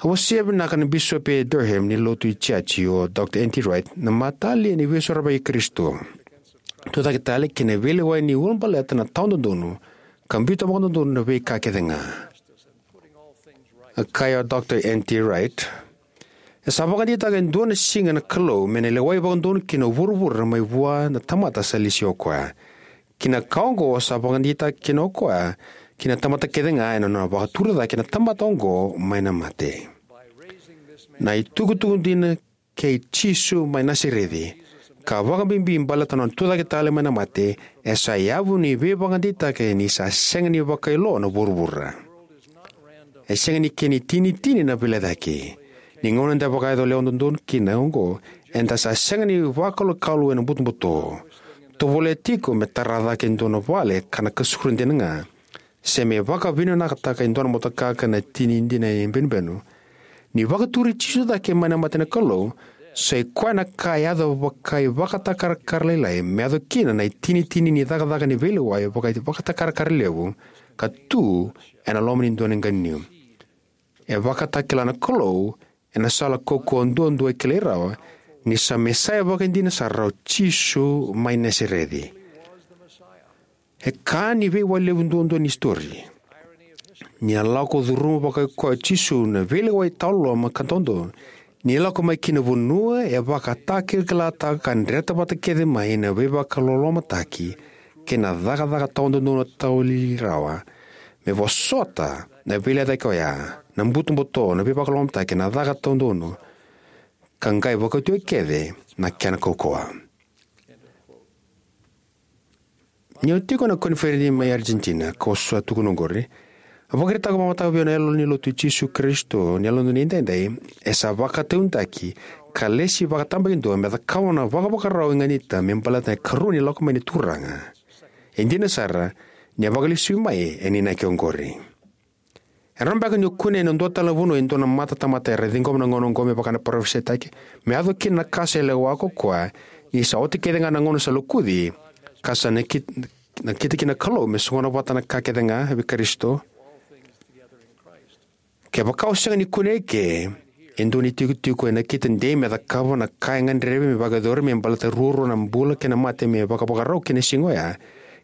A wasea vinaka na Bisopi e Durham ni lotu i Jiaji, o Doctor N T Wright, na matalia ni veisorovaki i Karisito. Tucake tale kei na veilewai ni ulabaleta na tawa dodonu, ka biuta vakadodonu na veika kece ga. A kaya o Doctor N T Wright, e sa vakadeitaka e dua na siga na Kalou, me na lewai vakadodonu kina o vuravura mai vua na tamata sa lesi o koya. Ki na ka oqo sa vakadeitaka kina o koya, ki na tamata kece ga ena nona vakaturi cake na tamata oqo mai na mate. Na itukutuku dina kei Jisu mai Nasareci, ka vakabibi baleta na nona tucake tale mai na mate, e sa yavu ni veivakadeitaki ni sa sega ni vakailoa na vuravura. E sega ni kena itinitini na veilecayaki. Ni gauna eda vakayaco lewa dodonu kina oqo, eda sa sega ni vakalokalu ena butobuto. Tovolea tiko me tara cake e dua na vale ka na kasura dina ga. Se me vakavinakataka e dua na motoka ka na tini dina e benubenu. Ni vakaturi Jisu cake mai na mate na Kalou, sa i koya na ka e yaco vakaivakatakarakara lailai, me yaco kina na itinitini ni cakacaka ni veilewai vakaivakatakarakara levu, ka tu ena loma ni dua na qaniu. E vakatakila na Kalou ena sala kaukauwa duadua e kilai rawa, ni sa Mesaia vakaidina sara o Jisu mai Nasareci. E ka ni veiwai levu duadua ni istori. Ni a lako curuma vakaikoya o Jisu na veilewai tawa loloma ka dodonu, Ni lako mai ki na vanua e vakatakilakilataka ka dreta vata kece mai na veivakalolomataki kei na cakacaka tawadodonu tawa lili rawa, me vosota na veilecayaki oya, na butobuto, na veivakalolomataki, na caka tawadodonu, ka qai vakauti oti kece na kena kaukauwa. Niu tiko ena koniferedi mai Argentina, kau sa tukuna oqori, a vakaraitaka vakamataka vei au na yalo ni Lotu i Jisu Karisito ni Yalododonu Edaidai e sa vakataudaitaki ka lesi vakatabakidua me cakava na vakavakarau e ganita me baleta na ikarua ni lako mai ni Turaga. E dina sara, ni a vakalesui mai ena inaki oqori. E rawa beka ni o kunea ena dua tale na vanua e dua na mata tamata era ciqoma na gauna oqo me vaka na parofisaitaki, me yaco kina na ka sa lewa ko koya, ni sa oti kece ga na gauna sa lokuci, ka sa nakit-, nakita kina na Kalou me soqona vata na ka kece ga vei Karisito? Kevaka o sega ni kunea eke e dua na itikotiko e nakita dei me cakava na ka e gadrevi me vakayacori me baleta ruarua na bula kei na mate me vakavakarau ki na siga oya,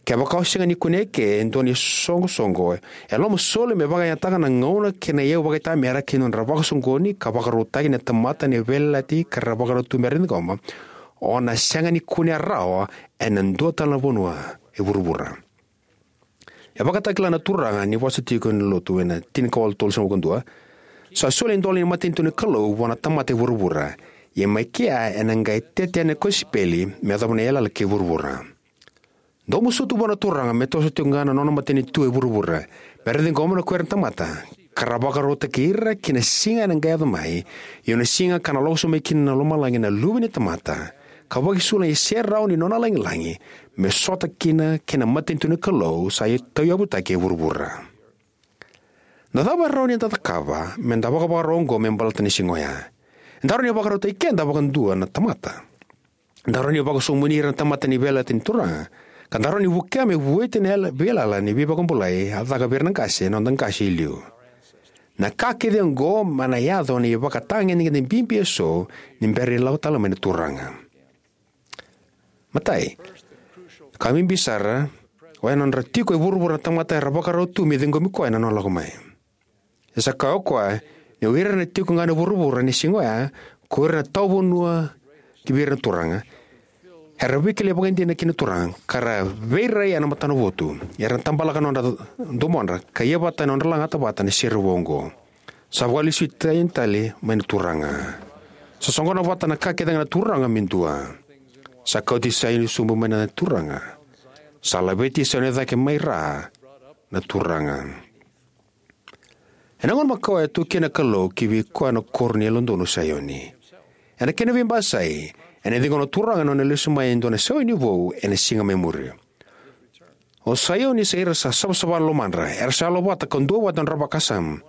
kevaka o sega ni kunea eke e dua na isoqosoqo e lomasoli me vakayagataka na gauna kei na iyau vakaitamera ki na nodra vakasoqoni ka vakarautaki na tamata ni veiyalayalati ka ra vakarau tu me ra ciqoma, o na sega ni kunea rawa ena dua tale na vanua e vuravura. E vakatakila na Turaga ni vosa tiko ena Lotu ena tinikawalu tolusagavulu ka dua: Sa soli e dola ni matanitu ni Kalou vua na tamata e vuravura, ia mai kea ena qai tete yani na kosipeli me yacova na yalayala kei vuravura. Dou masuta vua na Turaga me toso tiko ga na nona matanitu e vuravura, me ra ciqoma ko ira na tamata, ka ra vakarautaki ira ki na siga ena qai yaco mai, io na siga ka na lako sobu mai kina na lomalagi na Luve ni tamata, ka vakaisulu na iserau ni nona lagilagi, me sota kina kei na matanitu ni Kalou sa tauyavutaki e vuravura. Na cava e rawa ni da cakava me da vakavakarau oqo me baleta na siga oya? Eda rawa ni vakarautaki keda vakadua na tamata. Eda rawa ni vakasomuni ira na tamata ni veiyalayalati ni Turaga, ka da rawa ni vukea me vueti na yala-, veiyalayala ni veivakabulai a caka vei ira na qase, na noda qase e liu. Na ka kece oqo mai na yaco ni ivakatagedegede bibi eso ni bera ni lako tale mai na Turaga. Matai, ka bibi sara, oya na nodra tiko e vuravura na tamata era vakarau tu me ciqomi koya ena nona lako mai. E sa kaya o koya ni o ira na tiko ga ena vuravura ena siga oya, ko ira na tawa vanua ki vei ira na Turaga, era veikilai vakaidina ki na Turaga, ka ra veirai ena matanavotu, era na tabalaka na nodra domodra, ka ia vata ena nodra lagata vata na serevou oqo. Sa vakalesui tani tale mai na Turaga. Sa soqona vata na ka kece ga na Turaga me dua. Sa kauti Saioni sobu mai na Turaga. Sa laveti Saioni cake mai ra na Turaga. Ena gauna makawa e tu kina na Kalou ki vei koya na koro ni Yalododonu Saioni. Ena kena veibasai, ena ciqoma na Turaga na nona lesu mai e dua na Saioni vou ena siga mai muri. O Saioni sa ira sa savasava na lomadra, era sa yalovata ka duavata ena nodra vakasama.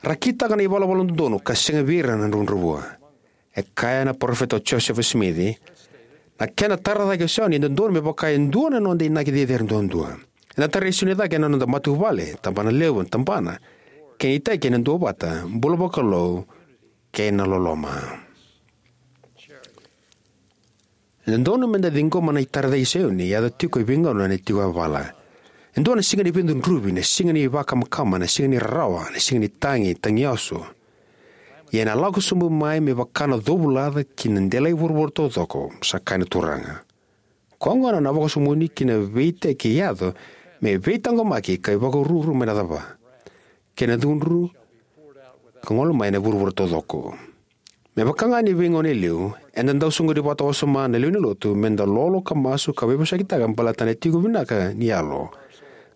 Ra kitaka na ivalavala dodonu ka sega vei ira na dravudravua. E kaya na parofita o Josefa Simici, na kena tara cake o Saioni e dodonu me vaka e dua na noda inaki cecere duadua. Ena tarai Saioni cake ena noda matavuvale, tabanalevu, tabana, kei na iteki ena duavata, bula vakalou, kei na loloma. E dodonu me da ciqoma na itara cake i Saioni e yaco tiko e veigauna ena tiko yavala. E dua na siga ni veicudruvi, na siga ni vakamakama, na siga ni rarawa, na siga ni tagi, tagiyaso. Ia ena lako sobu mai me vaka na covulaca ki na delai vuravura taucoko, sa kaya na Turaga. Koya gona na vakasumuni ki na veiteki e yaco me veitaqomaki ka ivakaruru mai na cava, kei na cudru ka gole mai na vuravura taucoko. Me vaka ga ni veigauna e liu, eda dau soqoni vata wasoma na lewe ni lotu me da lolo ka masu ka veivosakitaka baleta na tiko vinaka ni yalo,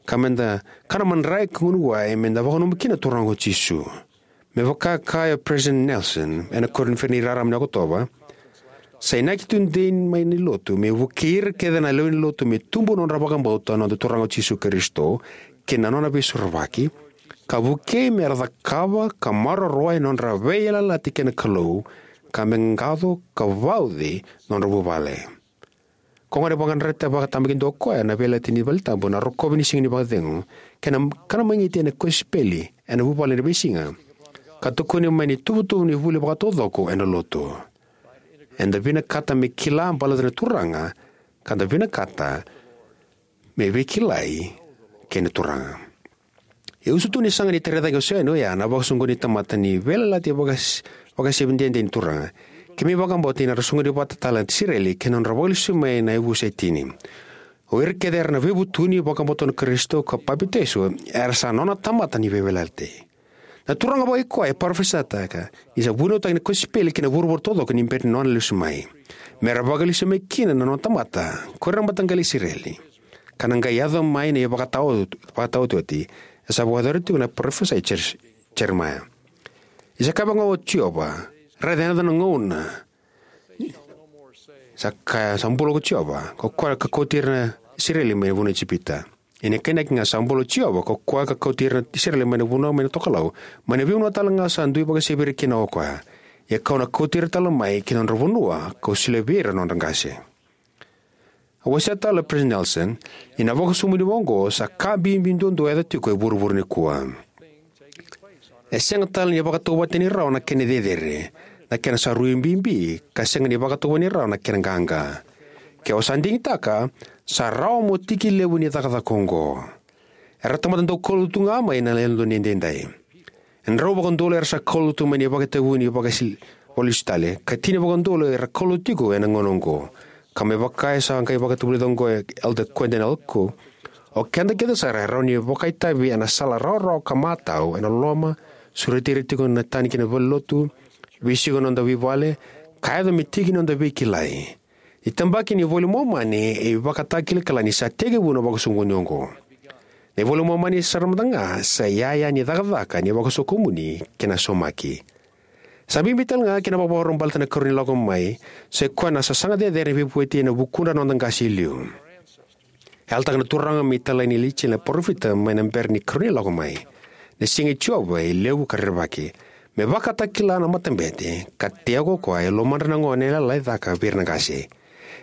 ka me da kana madrai ka gunu wai me da vakananuma kina na Turaga o Jisu. Me vaka e kaya o President Nelson ena koniferedi raraba ni Okotova, sa inaki tudei mai ni lotu me vukei ira kece na lewe ni lotu me tubu na nodra vakabauta na noda Turaga o Jisu Karisito kei na nona veisorovaki, ka vukei me ra cakava ka maroroya na nodra veiyalayalati kei na Kalou, ka me qaco ka vauci na nodra vuvale. Koya gona e vakadreta vakatabakidua o koya na veiyalayalati ni valetabu, na rokovi ni siga ni vakacegu, kei na kana magiti ena kosipeli ena vuvale ena veisiga, ka tukuni mai na ituvatuva ni vuli vakataucoko ena lotu. Eda vinakata me kila baleta na Turaga, ka da vinakata me veikilai kei na Turaga. E usutu ni saga ni tara cake o Saioni oya na vakasoqoni ni tamata ni veiyalayalati e vaka-, Vakasevi dede ni Turaga. Keimami vakabauta ni ra soqoni vata tale na Isireli kei na nodra vakalesuimai na yavusa e tini. O ira kece era na veivutuni, vakabauta na Karisito ka papitaiso, era sa nona tamata ni veiyalayalati. Na Turaga vakaikoya e parofisaitaka ni sa vunautaki na kosipeli ki na vuravura taucoko ni bera ni nona lesu mai, me ra vakalesu mai kina na nona tamata, ko ira na mataqali Isireli, ka na qai yaco mai na ivakataotioti e sa vakayacori tiko na parofisai Jer-, Jeremaia. Ni sa kaya vaka oqo o Jiova, raica e yaco na gauna, sa kaya, sa bula ko Jiova, ko koya ka kauti ira na Isireli mai na vanua o Ijipita. Ia ni kainaki ga, sa bula ko Jiova, ko koya ka kauti ira na Isireli mai na vanua mai na tokalau, mai na veivanua tale ga sa dui vakasevi ira kina o koya. Ia kau na kauti ira tale mai ki na nodra vanua, kau solia vei ira na nodra qase. A wasea tale o President Nelson, ia na vakasokumuni vaka oqo sa ka bibi duadua e yaco tiko e vuravura nikua. E sega tale ni vakatauvatani rawa na kena cecere, na kena sa rui bibi, ka sega ni vakatauvatani rawa na kena qaqa. Ke o sa digitaka, sa rawa mo tiki levu ni cakacaka oqo. Era tamata dau kaulotu ga mai na yalododonu edaidai. E drau vakaudolu era sa kaulotu mai na ivakatavulici vakasil-, vakalesu tale, ka tini vakaudolu era kaulotu tiko ena gauna oqo. Ka me vaka e sa qai vakatavulica oqo o Elder Quentin L. Cook, o keda kece sara e rawa ni vakaitavi ena sala rawarawa ka matau ena loloma, sureti ira tiko na tani ki na valenilotu, veisiko ena noda veivale, ka yaco me tiki ni noda veikilai. Ni tabaki ni iVola i Momani e ivakatakilakila ni sa tekivu na vakasoqoni oqo. Na iVola i Momani sara mada ga sa iyaya ni cakacaka ni vakasokumuni kei na saumaki. Sa bibi tale ga kei na vakavakarau baleta na ikarua ni lako mai, sa i koya na sasaga cecere ni veivueti ena vukudra na noda qase e liu. E yalataka na Turaga me italai nei Ilaija na parofita mai na bera ni ikarua ni lako mai. Na siga i Jiova e levu ka rerevaki. Me vakatakila na matabete, ka tei ko koya e lomadra na gone e lalai cake vei ira na qase.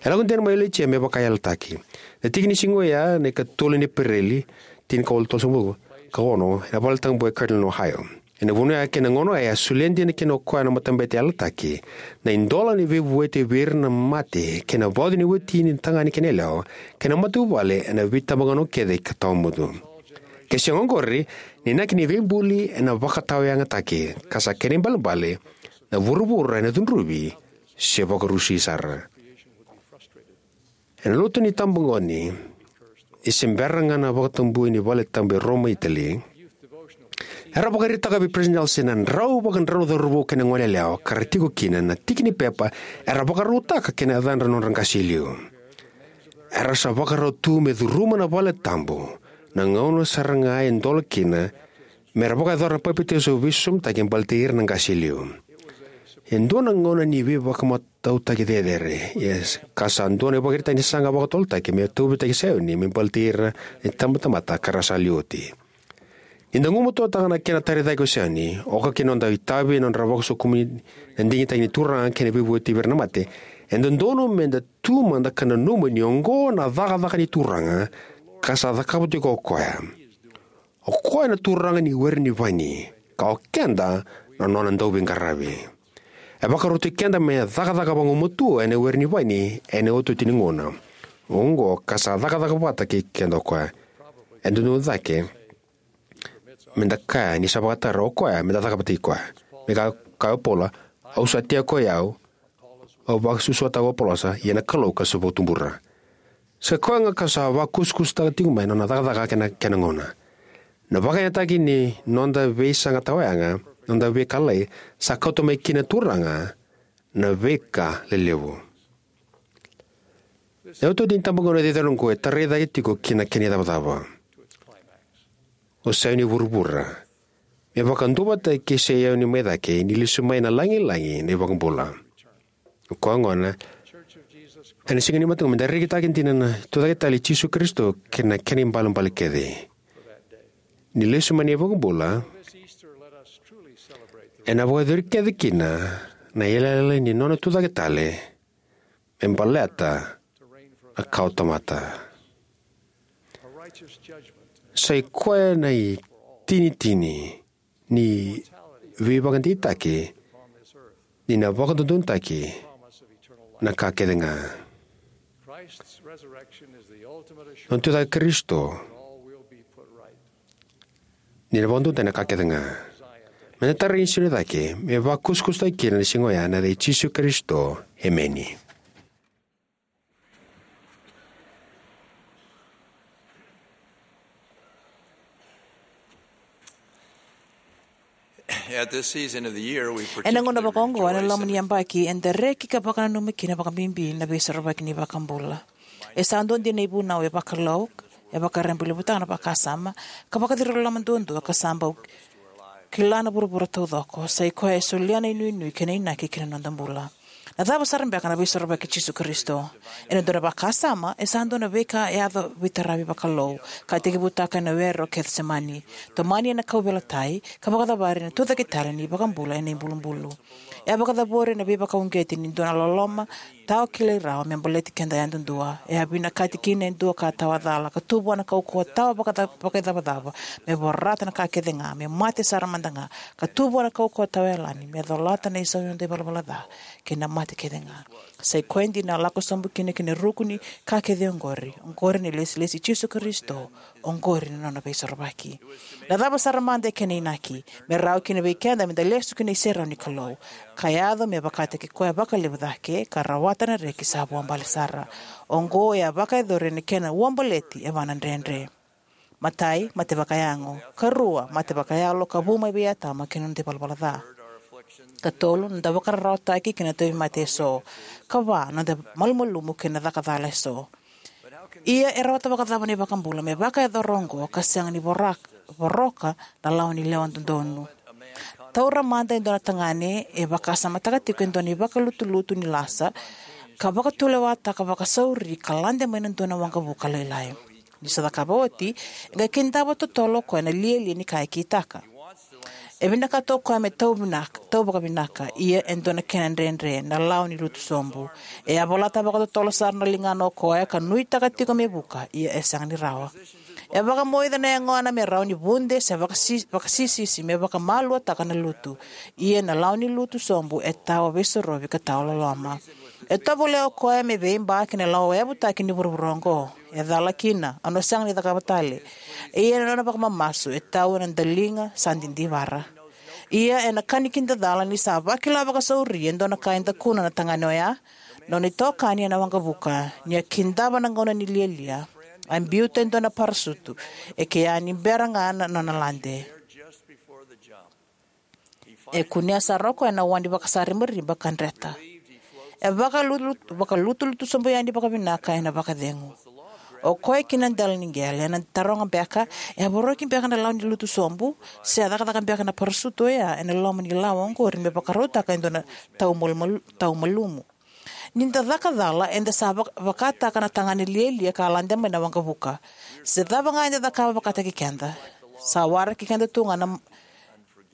E lako dina mai o Ilaija me vaka e yalataki. Na tiki ni siga oya, na ikatolu ni Epereli, tinikawalu tolusagavulu ka ono, ena Vale Tabu e Cardington, Ohio. Ena vanua ya kei na gauna ya, a solia dina kina o koya na matabete e yalataki, na idola ni veivueti vei ira na mate, kei na vauci ni wati ni tagane kei na yalewa, kei na matavuvale ena veitabagauna kece ka tawamudu. Ke sega oqori, na inaki ni veibuli ena vakatawayagataki, ka sa kena ibalebale, na vuravura ena cudruvi se vakarusi sara. Ena lotu ni itabagone, e se bera ga na vakatabui ni Vale Tabu e Roma, Itali, era vakaraitaka vei President Nelson na drau vakadrau na cauravou kei na goneyalewa ka ra tiko kina na tiki ni pepa era vakarautaka kei na yacadra na nodra qase e liu. Era sa vakarau tu me curuma na Vale Tabu, na gauna sara ga e dola kina, me ra vakayacora na papitaiso veisosomitaki baleti ira na qase e liu. E dua na gauna ni veivakamatautaki cecere, yes, ka sa dua na ivakaraitaki ni saga vakatotolotaki me tauvitaki Saioni me baleti ira na itabatamata ka ra sa liu oti. Ni da gumatuataka na kena tara cake o Saioni, oka kina noda itavi ena nodra vakasokumuni na digitaki ni Turaga kei na veivueti vei ira na mate, e dodonu me da tu mada ka nanuma ni oqo na cakacaka ni Turaga, ka sa cakava tiko o koya. O koya na Turaga ni were ni vaini, ka o keda na nona dauveiqaravi. E vakarautaki keda me cakacaka vagumatua ena were ni vaini ena iotioti ni gauna. Oqo ka sa cakacaka vata kei keda o koya. E dodonu cake me da kaya ni sa vakatara o koya me da cakava vata kei koya. Me ka, kaya o Paula, au sa tiko ko i au, au vakasusuataka o Apolosa, ia na Kalou ka sa vakatubura. Sa koya ga ka sa vakusakusataka tiko mai na nona cakacaka kei na kena gauna. Na vakayagataki ni noda veisaqa tawayaga, noda veika lalai, sa kauta mai kina na Turaga na veika lelevu. Na iotioti ni itabagone cecere oqo e tarai cake tiko ki na kena icavacava. O Saioni vuravura. Me vakaduavatataki kei Saioni mai cake, ni lesu mai na lagilagi na iVakabula. O koya gona, ena siga ni mataka me da rekitaka dina na tucake tale i Jisu Karisito kei na kena ibalebale kece. Ni lesu mai na iVakabula, ena vakayacori kece kina na iyalayala ni nona tucake tale, me baleta na kawatamata. Sa i koya na itinitini ni veivakadeitaki ni na vakadodonutaki na ka kece ga. Nona tucake Karisito ni na vakadodonutaki na ka kece ga. Me da tara na siga ni cake me vakusakusataki kina na siga oya, ena yaca i Jisu Karisito, emeni. At this season of the year, we Ena gauna particularly vakaoqo ena rejoice loma in ni yabaki, eda reki ka vakananuma kina vakabibi na Veisorovaki ni iVakabula. E sa dua dina na ivunau e vakalou, e vakarabailevutaka na vakasama, ka vakaciriloloma duadua ka sa bau kila na vuravura taucoko. Sa i koya e solia na inuinui kei na inaki ki na noda bula. Na cava sara beka na Veisorovaki i Jisu Karisito? Ena dua na vakasama, e sa dua na veika e yaco veitaravi vakalou, ka tekivutaka ena Were o Kecisemani. Tomani ena kauveilatai, ka vakacavari ena tucake tale ni iVakabula ena ibulubulu. E a vakacavori ena veivakauqeti ni dua na loloma tawa kilai rawa me baleti keda yadudua. E a vinakati kina e dua ka tawa cala, ka tu vua na kaukauwa tawa vakaca-, vakaicavacava, me vorata na ka kece ga, me mate sara mada ga, ka tu vua na kaukauwa tawa yalani, me colata na isau ni noda ivalavala ca kei na mate kece ga. Sa i koya dina a lako sobu kina ki na ruku ni ka kece oqori. Oqori na ilesilesi i Jisu Karisito. Oqori na nona Veisorovaki. Na cava sara mada e kena inaki? Me rawa kina vei keda me da lesu ki na iserau ni Kalou, ka yaco me vakataki koya vakalevu cake, ka rawata na reki sa vuabale sara. Oqo e a vakayacori ena kena uabaleti e va na dredre. Matai, mate vakayago. Karua, mate vakayalo ka vu mai vei Atama kei na noda ivalavala ca. Katolu, noda vakararawataki kei na tauvimate eso. Kava, noda malumalumu kei na caka cala eso. Ia e rawata vakacava na iVakabula me vakayacora oqo ka sega ni vorak-, voroka na lawa ni lewa dodonu? Taura mada e dua na tagane e vakasamataka tiko e dua na ivakalutulutu ni lasa, ka vakatulewataka vakasauri ka lade mai na dua na waqavuka lailai. Ni sa cakava oti, e qai kidava totolo o koya na lialia ni ka e kitaka. E vinakata o koya me tau vinaka, tau vakavinaka, ia e dua na kena dredre, na lawa ni lutu sobu. E a volata vakatotolo sara na ligana o koya ka nuitaka tiko me vuka, ia e sega ni rawa. E vakamoica na yagona me rawa ni vude se vakasi-, vakasisisi me vakamaluataka na lutu. Ia na lawa ni lutu sobu e tawa veisorovi ka tawa loloma. E tovolea o koya me veiba ki na lawa yavutaki ni vuravura oqo. E cala kina, au na sega ni cakava tale. Ia na nona vakamamasu e tau ena daliga sa didivara. Ia ena ka ni kidacala, ni sa vakila vakasauri e dua na ka e dakuna na tagane oya, nona itokani ena waqavuka, ni a kidava na gauna ni lialia, a biuta e dua na parasutu, e kea ni bera ga na nona lade. E kunea sara o koya na wa ni vakasaribariba ka dreta. E vakalutu-, vakalutulutu sobu yani vakavinaka ena vakacegu. O koya kina na dela ni qele, ena taroga beka, e a voroki beka na lawa ni lutu sobu, se a cakacaka beka na parasutu oya ena loma ni lawa oqori me vakarautaka e dua na tau malu-, malu-, tau malumu. Ni da caka cala, eda sa vak-, vakataka na tagane lialia ka lade mai na waqavuka. Se cava ga eda cakava vakataki keda, sa waraki keda tu ga na,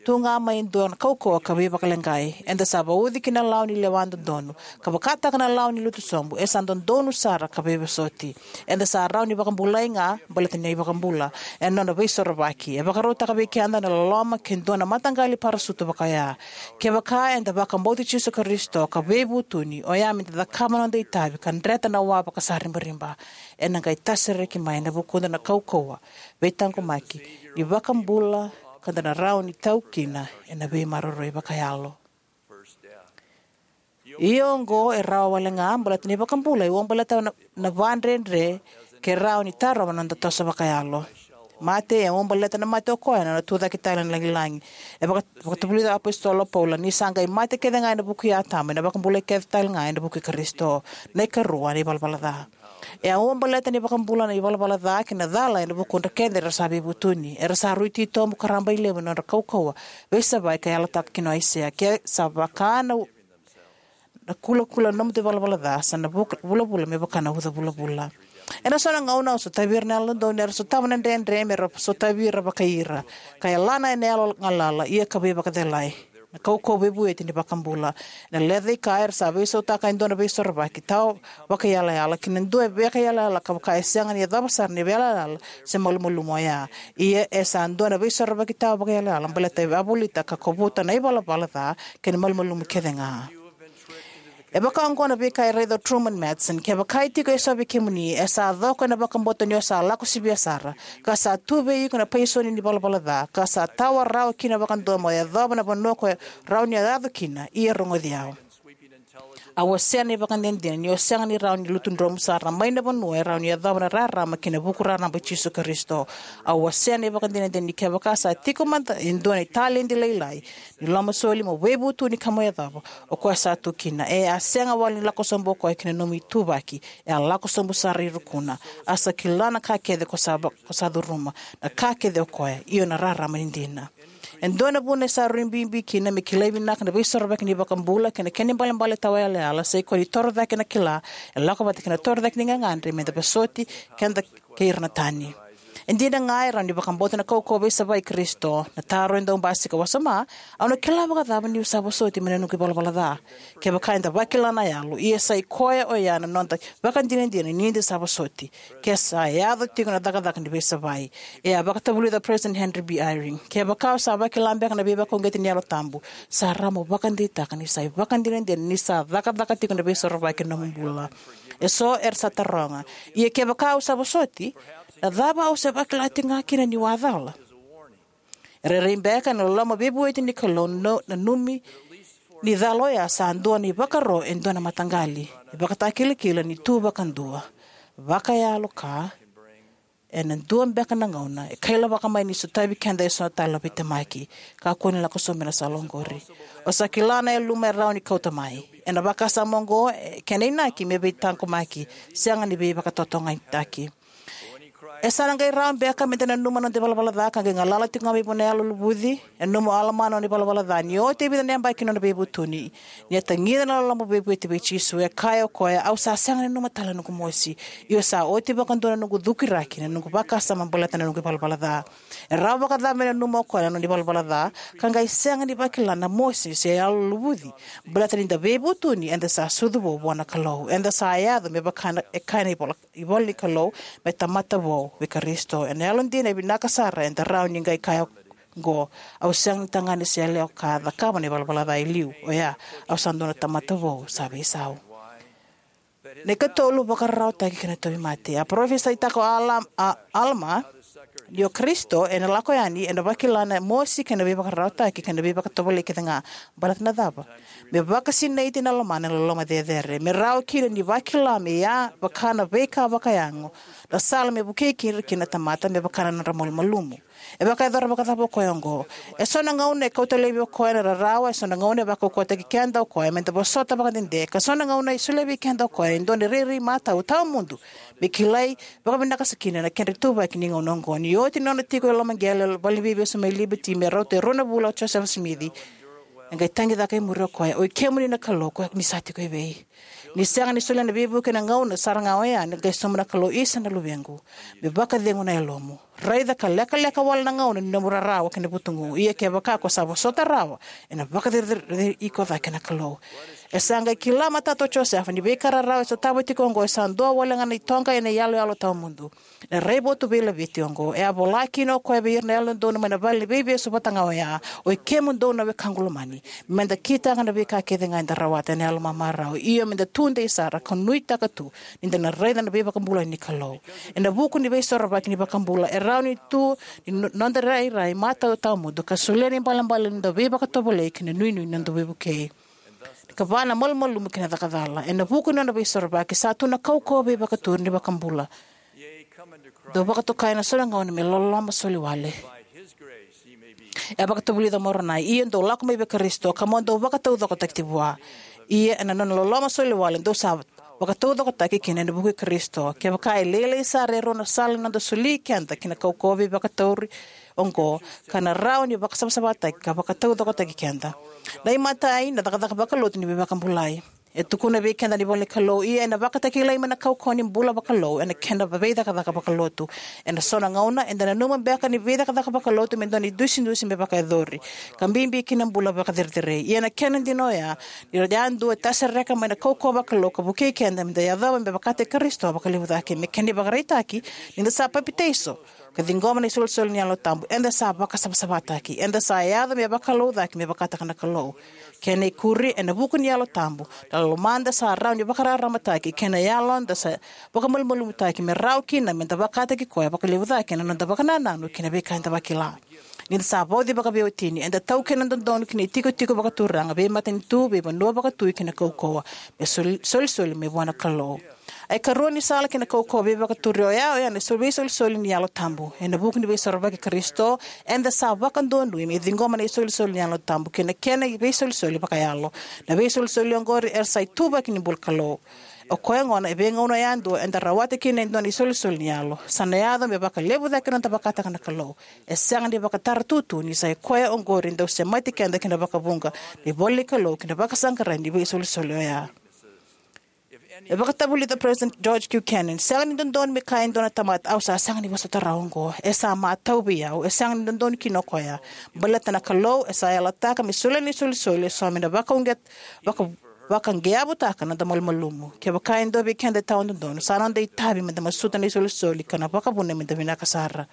tu ga mai e dua na kaukauwa ka veivakaleqai. Eda sa vauci ki na lawa ni lewa dodonu, ka vakataka na lawa ni lutu sobu, e sa dodonu sara ka veivosoti. Eda sa rawa ni vakabulai ga baleta na iVakabula, ena nona veisorovaki. E vakarautaka vei keda na loloma ke dua na mataqali parasutu vakaoya. Kevaka eda vakabauti Jisu Karisito ka veivutuni, oya me da cakava na noda itavi ka dreta na wa vakasaribariba, ena qai tasereki mai na vukuda na kaukauwa, veitaqomaki, ni vakabula, ka da na rawa ni tau kina ena veimaroroi vakayalo. Ia oqo e rawa wale ga, baleta na iVakabula e uabaleta na, na vakadredre ke rawa ni tarova na noda toso vakayalo. Mate, e uabaleta na mate o koya na nona tucake tale na lagilagi. E vaka-, vakatavulica na apositolo o Paula, ni sa qai mate kece ga ena vuku i Atama, ena vakabulai kece tale ga ena vuku i Karisito. Na ikarua, na ivalavala ca. E a uabaleta na iVakabula na ivalavala ca kei na cala ena vukudra kece era sa veivutuni. Era sa rui titobu ka rabailevu ena nodra kaukauwa veisavai ka yalataka kina o Aisea, ke sa vaka na, na kulakula na nomudu ivalavala ca, sa na vuka-, vulavula me vaka na uca vulavula. Ena so na gauna au sotavi ira na Yalododonu era sotava na dredre me ra sotavi ira vakai ira, ka yalana ena yalo galala, ia ka veivakacelai. Na kaukauwa veivueti ni iVakabula. Ena lecaika era sa veisautaka e dua na veisorovaki tawa vakaiyalayala ki na dua e vakaiyalayala ka vaka e sega ni yacova sara na veiyalayala se malumalumu oya. Ia e sa dua na veisorovaki tawa vakaiyalayala baleta e a volita ka kovuta na ivalavala ca kei na malumalumu kece ga. E vaka oqo na veika e raica o Truman Madsen: Kevaka e tiko eso vei kemuni e sa coko ena vakabauta ni o sa lako sivia sara, ka sa tu vei iko na paisoni ni valavala ca, ka sa tawa rawa kina vakadua mo yacova na vanua ko rawa ni o yaco kina, ia rogoci au. A wasea na ivakadinadina ni o sega ni rawa ni lutudromu sara mai na vanua e rawa ni yacova na rarama kei na vuku raraba i Jisu Karisito. A wasea na ivakadinadina ni kevaka sa tiko mada e dua na italedi lailai ni lomasoli mo veivutuni ka mo yacova, o koya sa tu kina. E a sega wale ni lako sobu o koya ki na nomu ituvaki, e a lako sobu sara i rukuna. A sa kila na ka kece ko sa va-, ko sa curuma, na ka kece o koya, io na rarama ni dina. E dua na vuna e sa rui bibi kina me kilai vinaka na Veisorovaki ni iVakabula kei na kena ibalebale tawa yalayala, sa i koya ni torocake na kila e lako vata kei na torocake ni gagadre, me da vosoti keda kei ira na tani. E dina ga e rawa ni vakabauta na kaukauwa veisavai i Karisito. Na taro e dau basika: Wasoma, au na kila vakacava niu sa vosoti mai na noqu ivalavala ca? Kevaka eda vakila na yalo, ia sa i koya oya na noda vakadinadina ni da sa vosoti, ke sa yaco tiko na cakacaka ni veisavai. E a vakatavulica o President Henry B. Eyring: Kevaka o sa vakila beka na veivakauqeti ni Yalo Tabu, sa rawa mo vakadeitaka ni sa ivakadinadina ni sa cakacaka tiko na Veisorovaki ena nomu bula. Eso era sa taroga: Ia kevaka au sa vosoti, na cava au se vakila tiko ga kina niu a cala? E rairai beka ena loloma veivueti ni Kalou na, na nanumi ni cala oya sa dua na ivakaro e dua na mataqali, ivakatakilakila ni tu vakadua, vakayalo ka, ena dua beka na gauna, e kailavaka mai ni sotavi keda eso tale na veitemaki. Kakua ni lako sobu mai na sala oqori. O sa kila na yaluma e rawa ni kauta mai. Ena vakasama oqo, e kena inaki me veitaqomaki, sega ni veivakatotogani. E sa na qai rawa beka me da nanuma na noda ivalavala ca ka qai galala tiko ga mai vua na Yalo luvuci? E nanuma o Alama na nona ivalavala ca ni oti e vica na yabaki na nona veivutuni, ni a tagica na loloma veivueti vei Jisu. E kaya o koya: Au sa sega ni nanuma tale na noqu mosi, ia sa oti vakadua na noqu cukiraki na noqu vakasama baleta na noqu ivalavala ca. E rawa vakacava me nanuma o koya na nona ivalavala ca ka qai sega ni vakila na mosi se Yalo luvuci? Baleta ni da veivutuni, eda sa sucu vou vua na Kalou. Eda sa yaco me vaka na, e kaya na ivola, ivola ni Kalou, me tamata vou vei Karisito. Ena yalodina e vinaka sara eda rawa ni qai kaya oqo: Au sega ni tagane se yalewa ka cakava na ivalavala ca e liu. Oya, au sa dua na tamata vou sa veisau. Na ikatolu, vakararawataki kei na tauvimate. A parofisaitaka o Alam-, a, Alama ni o Karisito ena lako yani, ena vakila na mosi kei na veivakararawataki kei na veivakatovolei kece ga. Baleta na cava? Me vakasinaiti na lomana ena loloma cecere, me rawa kina ni vakila me ya vaka na veika vakayago na sala me vukei ira kina na tamata me vaka na nodra malumalumu. E vakayacora vakacava o koya oqo? Eso na gauna e kauta laivi o koya na rarawa, eso na gauna e vakaukauwataki keda o koya me da vosota vakadede, ka so na gauna e solia vei keda o koya e dua na rairai matau tawamudu me kilai vakavinaka sara kina na kedra ituvaki ni gauna oqo. Ni oti na nona tiko e loma qele e valeniveivesu mai Liberty me rauta e rua na vula o Josefa Simici, e qai tagicaka e muri o koya: O i kemuni na Kalou, ko ni sa tiko evei? Ni sega ni solia na veivuke ena gauna sara ga oya, ni qai sauma na Kalou: Isa na luvequ, me vakacegu na yalomu. Raica ka lekaleka wale na gauna ni nomu rarawa kei na vutugu, ia kevaka ko sa vosota rawa, ena vakacerecerei iko cake na Kalou. E sa qai kila matata o Josefa ni veika rarawa e sotava tiko oqo e sa dua wale ga na itoqa ena iyaloyalo tawamudu. Na raivotu veilaveti oqo e a vola kina o koya vei ira na Yalododonu mai na valeniveivesu vata ga oya: O i kemudou na wekaqu lomani, me da kitaka na veika kece ga eda rawata ena yalomamarau, io me da tudei sara ka nuitaka tu ni da na raica na veivakabulai ni Kalou. Ena vuku ni Veisorovaki ni iVakabula, e rawa ni tu ni no-, noda rairai matau tawamudu ka solia na ibalebale ni noda veivakatovolei kei na inuinui ni noda veivukei. Ka va na malumalumu kei na cakacala. Ena vuku ni nona Veisorovaki, sa tu na kaukauwa veivakaturi ni iVakabula. Dou vakatokai ena so na gauna me loloma soli wale. E a vakatavulica o Moronai: Ia dou lako mai vei Karisito, ka mo dou vakataucokotaki vua. Ia ena nona loloma soli wale, dou sa vakataucokotaki kina ena vuku i Karisito. Kevaka e lailai sara e rua na sala ni noda soli keda ki na kaukauwa veivakaturi oqo, ka na rawa ni vakasavasavataki ka vakataucokotaki keda. Na imatai, na cakacaka vakalotu ni veivakabulai. E tukuna vei keda na ivola ni Kalou: Ia ena vakatakilai mai na kaukauwa ni bula vakalou ena kena veicakacaka vakalotu. Ena so na gauna eda nanuma beka ni veicakacaka vakalotu me dua na idusidusi me vakayacori, ka bibi kina na bula vakacerecerei. Ia na kena dina oya ni ra yadua e tasereka mai na kaukauwa vakalou ka vukei keda me da yacova me vakataki Karisito vakalevu cake. Me kena ivakaraitaki, ni da sa papitaiso, ka ciqoma na isolisoli ni Yalo Tabu, eda sa vakasavasavataki. Eda sa yaco me vakalougatataki me vakataka na Kalou. Kena ikuri, ena vuku ni Yalo Tabu, na lomada sa rawa ni vakararamataki, kei na yaloda sa vakamalumalumutaki, me rawa kina meda vakataki Koya vakalevu cake ena noda vakanananu kei na veika eda vakila. Ni da sa vauci vakaveiwatini, eda taukena dodonu ki na itikotiko vakaturaga, veimatanitu, veivanua vakatui kei na kaukauwa, me sol-, solisoli mai vua na Kalou. A ikarua ni sala ki na kaukauwa veivakaturi oya, oya na so-, veisolisoli ni Yalo Tabu. Ena vuku ni Veisorovaki i Karisito, eda sa vakadonui me ciqoma na isolisoli ni Yalo Tabu kei na kena iveisolisoli vakayalo. Na veisolisoli oqori era sa ituvaki ni bula Kalou. O koya gona, e veigauna yadua eda rawata kina e dua na isolisoli ni Yalo, sa na yaco me vakalevu cake na noda vakataka na Kalou. E sega ni vakatara tutu ni sa i koya oqori e dau semati keda ki na vakavuqa ni ivola ni Kalou kei na vakasaqarai ni veisolisoli oya. E vakatavulica o President George Q. Cannon, sega ni dodonu me kaya e dua na tamata, "Au sa sega ni vosota rawa oqo. E sa matau vei au." E sega ni dodonu kina o koya. Baleta na Kalou e sa yalataka me solia na isolisoli eso me na vakauqet-, vaka-, vakageavutaka na noda malumalumu. Kevaka e dua vei keda e tawadodonu, sa noda itavi meda masuta na isolisoli ka na vakavuna meda vinaka sara.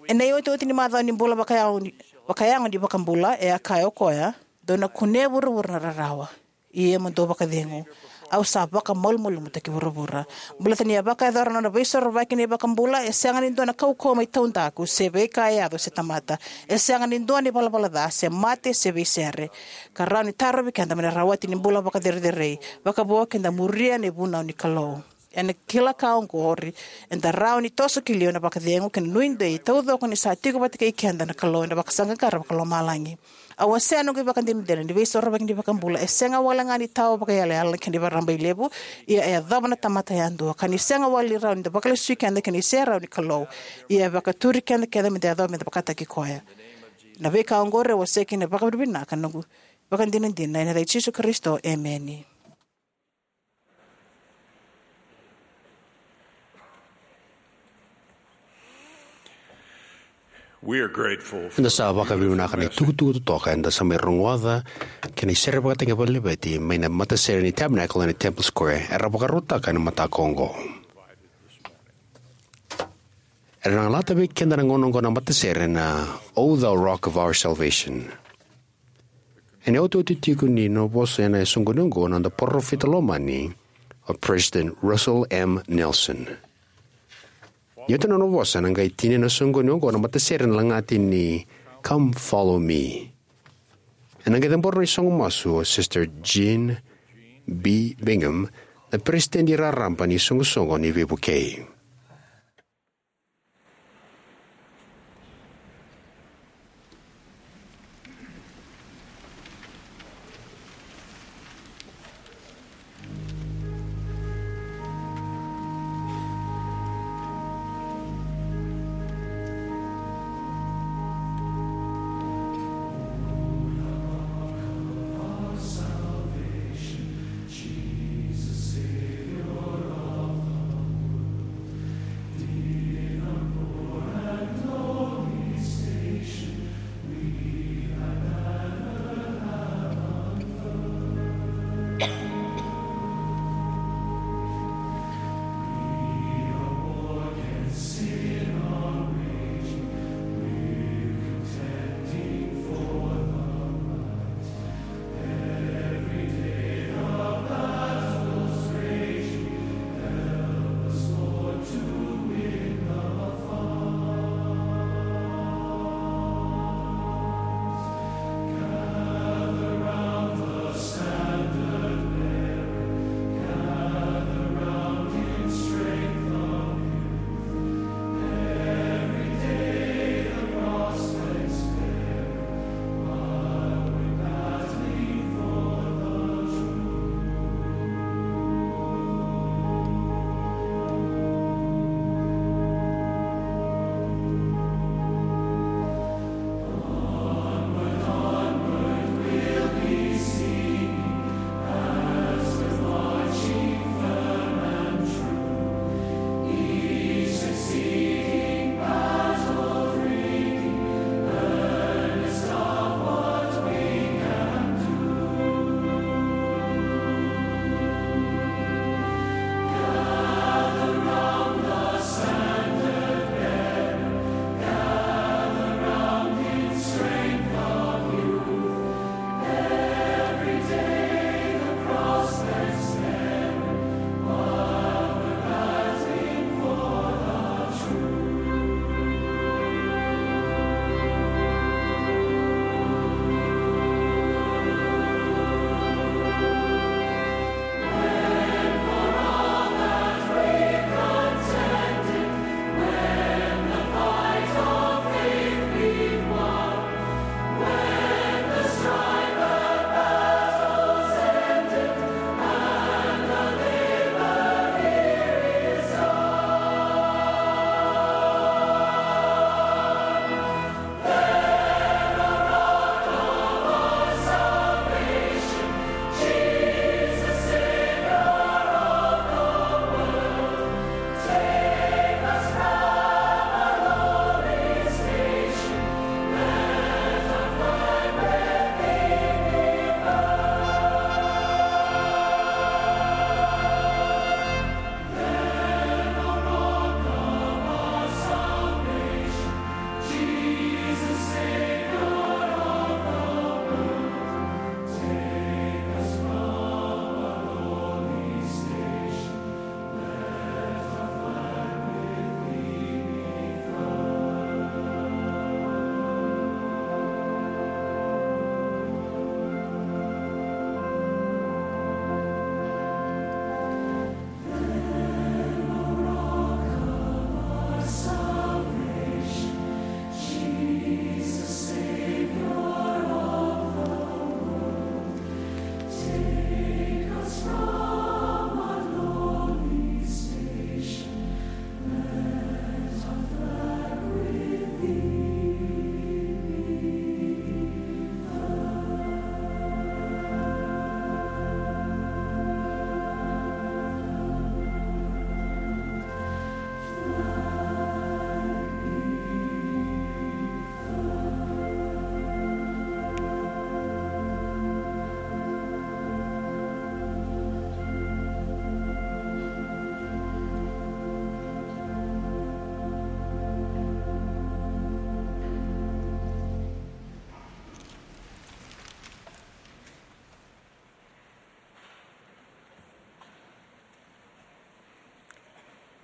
Ena iotioti ni macawa ni bula vakayago ni, vakayago ni iVakabula, e a kaya o koya, "Dou na kunea e vuravura na rarawa. Ia mo dou vakacegu. Au sa vakamalumalumutaki vuravura." Baleta ni a vakayacora na nona veisorovaki na iVakabula, e sega ni dua na kaukauwa mai taudaku, se veika e yaco se tamata. E sega ni dua na ivalavala ca, se mate, se veisere, ka rawa ni tarovi keda mai na rawati ni bula vakacerecerei, vakavo keda muria na ivunau ni Kalou. Ena kila ka oqori, eda rawa ni toso ki liu ena vakacegu kei na nuidei taucoko ni sa tiko vata kei keda na Kalou ena vakasaqaqara vakalomalagi. Au wasea noqu ivakadinadina ni veisorovaki ni iVakabula e sega wale ga ni tawa vakaiyalayala kei na ivakarabailevu, ia e yacova na tamata yadua, ka ni sega wale ni rawa ni da vakalesui keda kei na iserau ni Kalou, ia e vakaturi keda kece meda yacova meda vakataki koya. Na veika oqori au wasea kina vakavinavinaka noqu ivakadinadina ena yaca i Jisu Karisito, emeni. We are grateful for Eda sa vakavinavinaka na itukutuku totoka eda sa mai rogoca kei na isere vakataki vakalevu mai na matasere ni Tabernacle ena Temple Square era vakarautaka ena mataka oqo. Era na galata vei keda na gauna oqo na matasere na O Thou Rock of Our Salvation. Ena iotioti tiko ni nona vosa ena soqoni oqo na noda parofita lomani, o President Russell M. Nelson. Ni oti na nona vosa, ena qai tinia na soqoni oqo na matasere ena lagati ni Come Follow Me. Ena qai cabora na isoqomasu o Sister Jean B. Bingham, na peresitedi raraba ni isoqosoqo ni veivukei.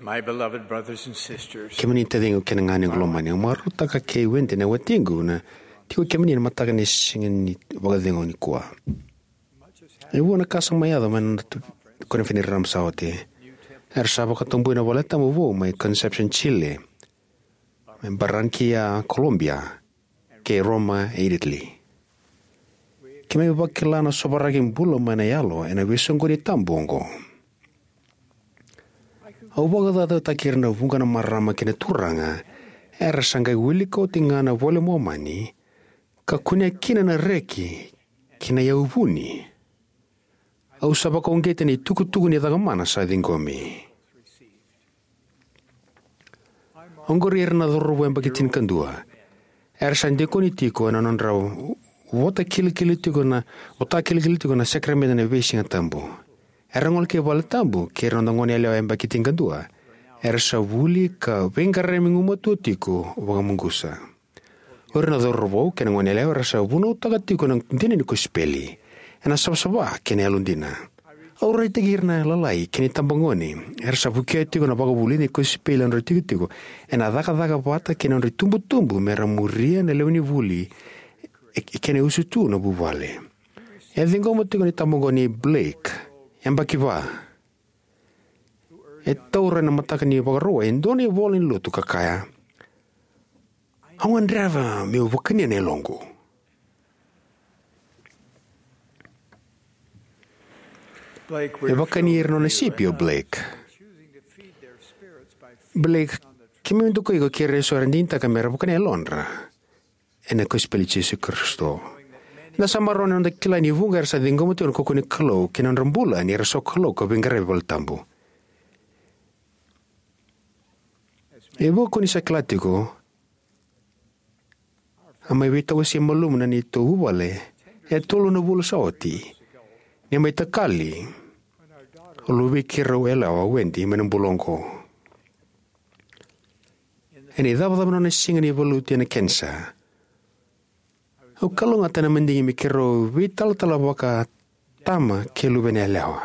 My beloved brothers and sisters, kemuni taciqu kei na ganequ lomani, au marautaka kei Wendy na watiqu na tiko kemuni na mataka ni siga ni vakacegu nikua. E vua na ka sa mai yaco mai na noda tu-, koniferedi raraba sa oti. Era sa vakatabui na valetabu vou mai Concepcion, Chile, mai Barranquilla, Colombia, kei Roma, Italy. Keimami vakila na sovaraki bula mai na yalo ena veisoqoni tabu oqo. Au vakacaucautaki ira na vuqa na marama kei na turaga era sa qai wilika oti ga na iVola i Momani ka kunea kina na reki kei na yauvuni. Au sa vakauqeti na itukutuku ni cakamana sa ciqomi. Oqori era na cauravou yabaki tinikadua. Era sa dikoni tiko ena nodra vota kilikili tiko na, vota kilikili tiko na sakaramede ena veisiga tabu. Era gole ki valetabu kei ira na noda goneyalewa yabaki tinikadua. Era sa vuli ka veiqaravi gumatua tiko vakamuqusa. O ira na cauravou kei na goneyalewa era sa vunautaka tiko na dina ni kosipeli ena savasava kei na yalodina. Au raitaki ira na lalai kei na itabagone era sa vukea tiko na vakavulici ni kosipeli ena nodra itikotiko, ena cakacaka vata kei na nodra itubutubu mera muria na lewenivuli e, e kena iusutu na vuvale. E a ciqoma tiko na itabagone nei Blake, yabaki va. E taura ena mataka ni Vakarauwai e dua na ivola ni lotu ka kaya, "Au gadreva meu vakania na yaloqu." E vakani ira na nona sipi o Blake. Blake, keimami dokai iko kei ira eso era digitaka mera vakania na yalodra ena kosipeli i Jisu Karisito. Eda sa marau ni noda kila ni vuqa era sa ciqoma tiko na kaukauwa ni Kalou kei na nodra bula ni ra sokalou ka veiqaravi valetabu. E vuqa ko ni sa kila tiko, a mai veitawasei malumu na neitou vuvale e tolu na vula sa oti, ni a mai takali o luvei keirau yalewa o Wendy mai na bula oqo. Ena icavacava ni nona siga ni valuti ena kenisa, au kalougata ena madigi me keirau veitalatala vaka tama kei luvena yalewa.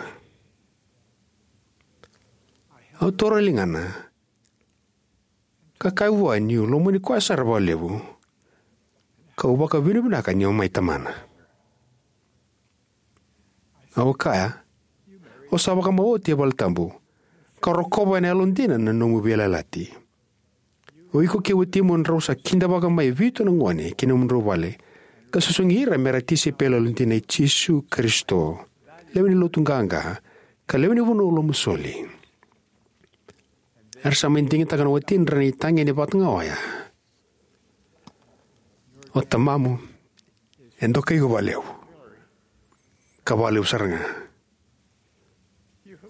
Au taura e ligana ka kaya vua niu lomani koya sara vakalevu, kau vakavinavinaka niu mai tamana. Au kaya, "O sa vakamau oti e valetabu, ka rokova ena yalodina na nomu veiyalayalati. O iko kei watimu drau sa kidavaka mai e vitu na gone ki nomudrau vale, ka susugi ira mera tisaipeli yalodina i Jisu Karisito, lewe ni lotu qaqa, ka lewe ni vanua lomasoli." Era sa mai digitaka na watidra na itagi ni vata ga oya. O tamamu e dokai iko vakalevu, ka vakalevu sara ga.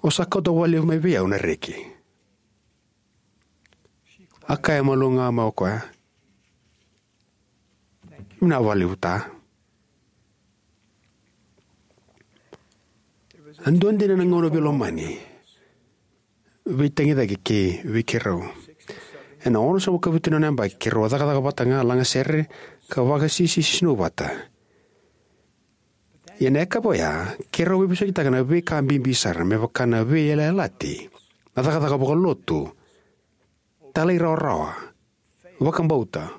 O sa kauta vakalevu mai vei au na reki. A kaya malua ga mai o koya, "Vinaka vakalevu, ta." A dua dina na gauna veilomani, veitagicaki kei vei keirau. Ena onosagavulu ka vitu na nona yabaki keirau a cakacaka vata ga, lagasere ka vakasisisinu vata. Ia na yakavi oya keirau veivosakitaka na veika bibi sara, me vaka na veiyalayalati, na cakacaka vakalotu, talairawarawa, vakabauta,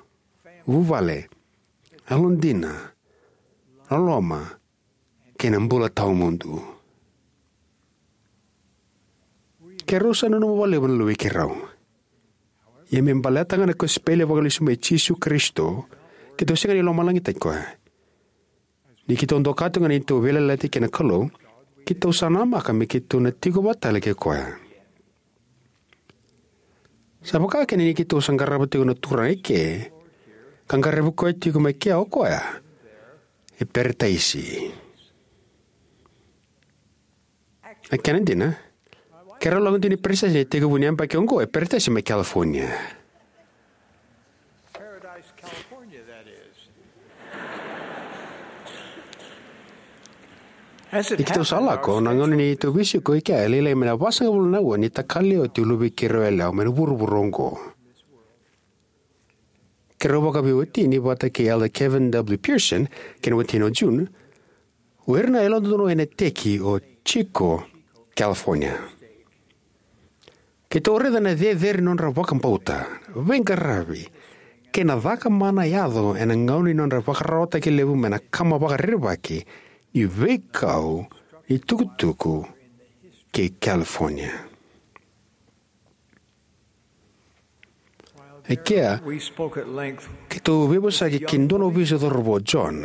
vuvale, yalodina, loloma, kei na bula tawamudu. Keirau sa nanuma vakalevu na luvei keirau. Ia me baleta ga na kosipeli vakalesui mai Jisu Karisito, keitou sega ni lomalagitaki koya. Ni keitou doka tiko ga na neitou veiyalayalati kei na Kalou, keitou sa namaka me keitou na tiko vata tale kei koya. Sa vaka kina ni keitou sa qarava tiko na Turaga eke, ka qaravi koya tiko mai kea o koya e Peretaisi. A kena dina, keirau lako dina i Peretaisi ena itekivu ni yabaki oqo, e Peretaisi mai California. Paradise, California, that is. Ni keitou sa lako, na gauna ni neitou veisiko i kea e lailai mai na vasagavulu na aua ni takali oti o luvei keirau yalewa mai na vuravura oqo. Keirau vakaveiwatini vata kei Elder Kevin W. Pearson kei na watina o June, o ira na yalododonu ena iteki o Chico, California. Keitou raica na cecere ni nodra vakabauta, veiqaravi, kei na caka mana e yaco ena gauna ni nodra vakararawataki levu mai na kama vakarerevaki ni veikau ni tukutuku kei California. E kea, keitou veivosaki ki dua na ovisa cauravou, John.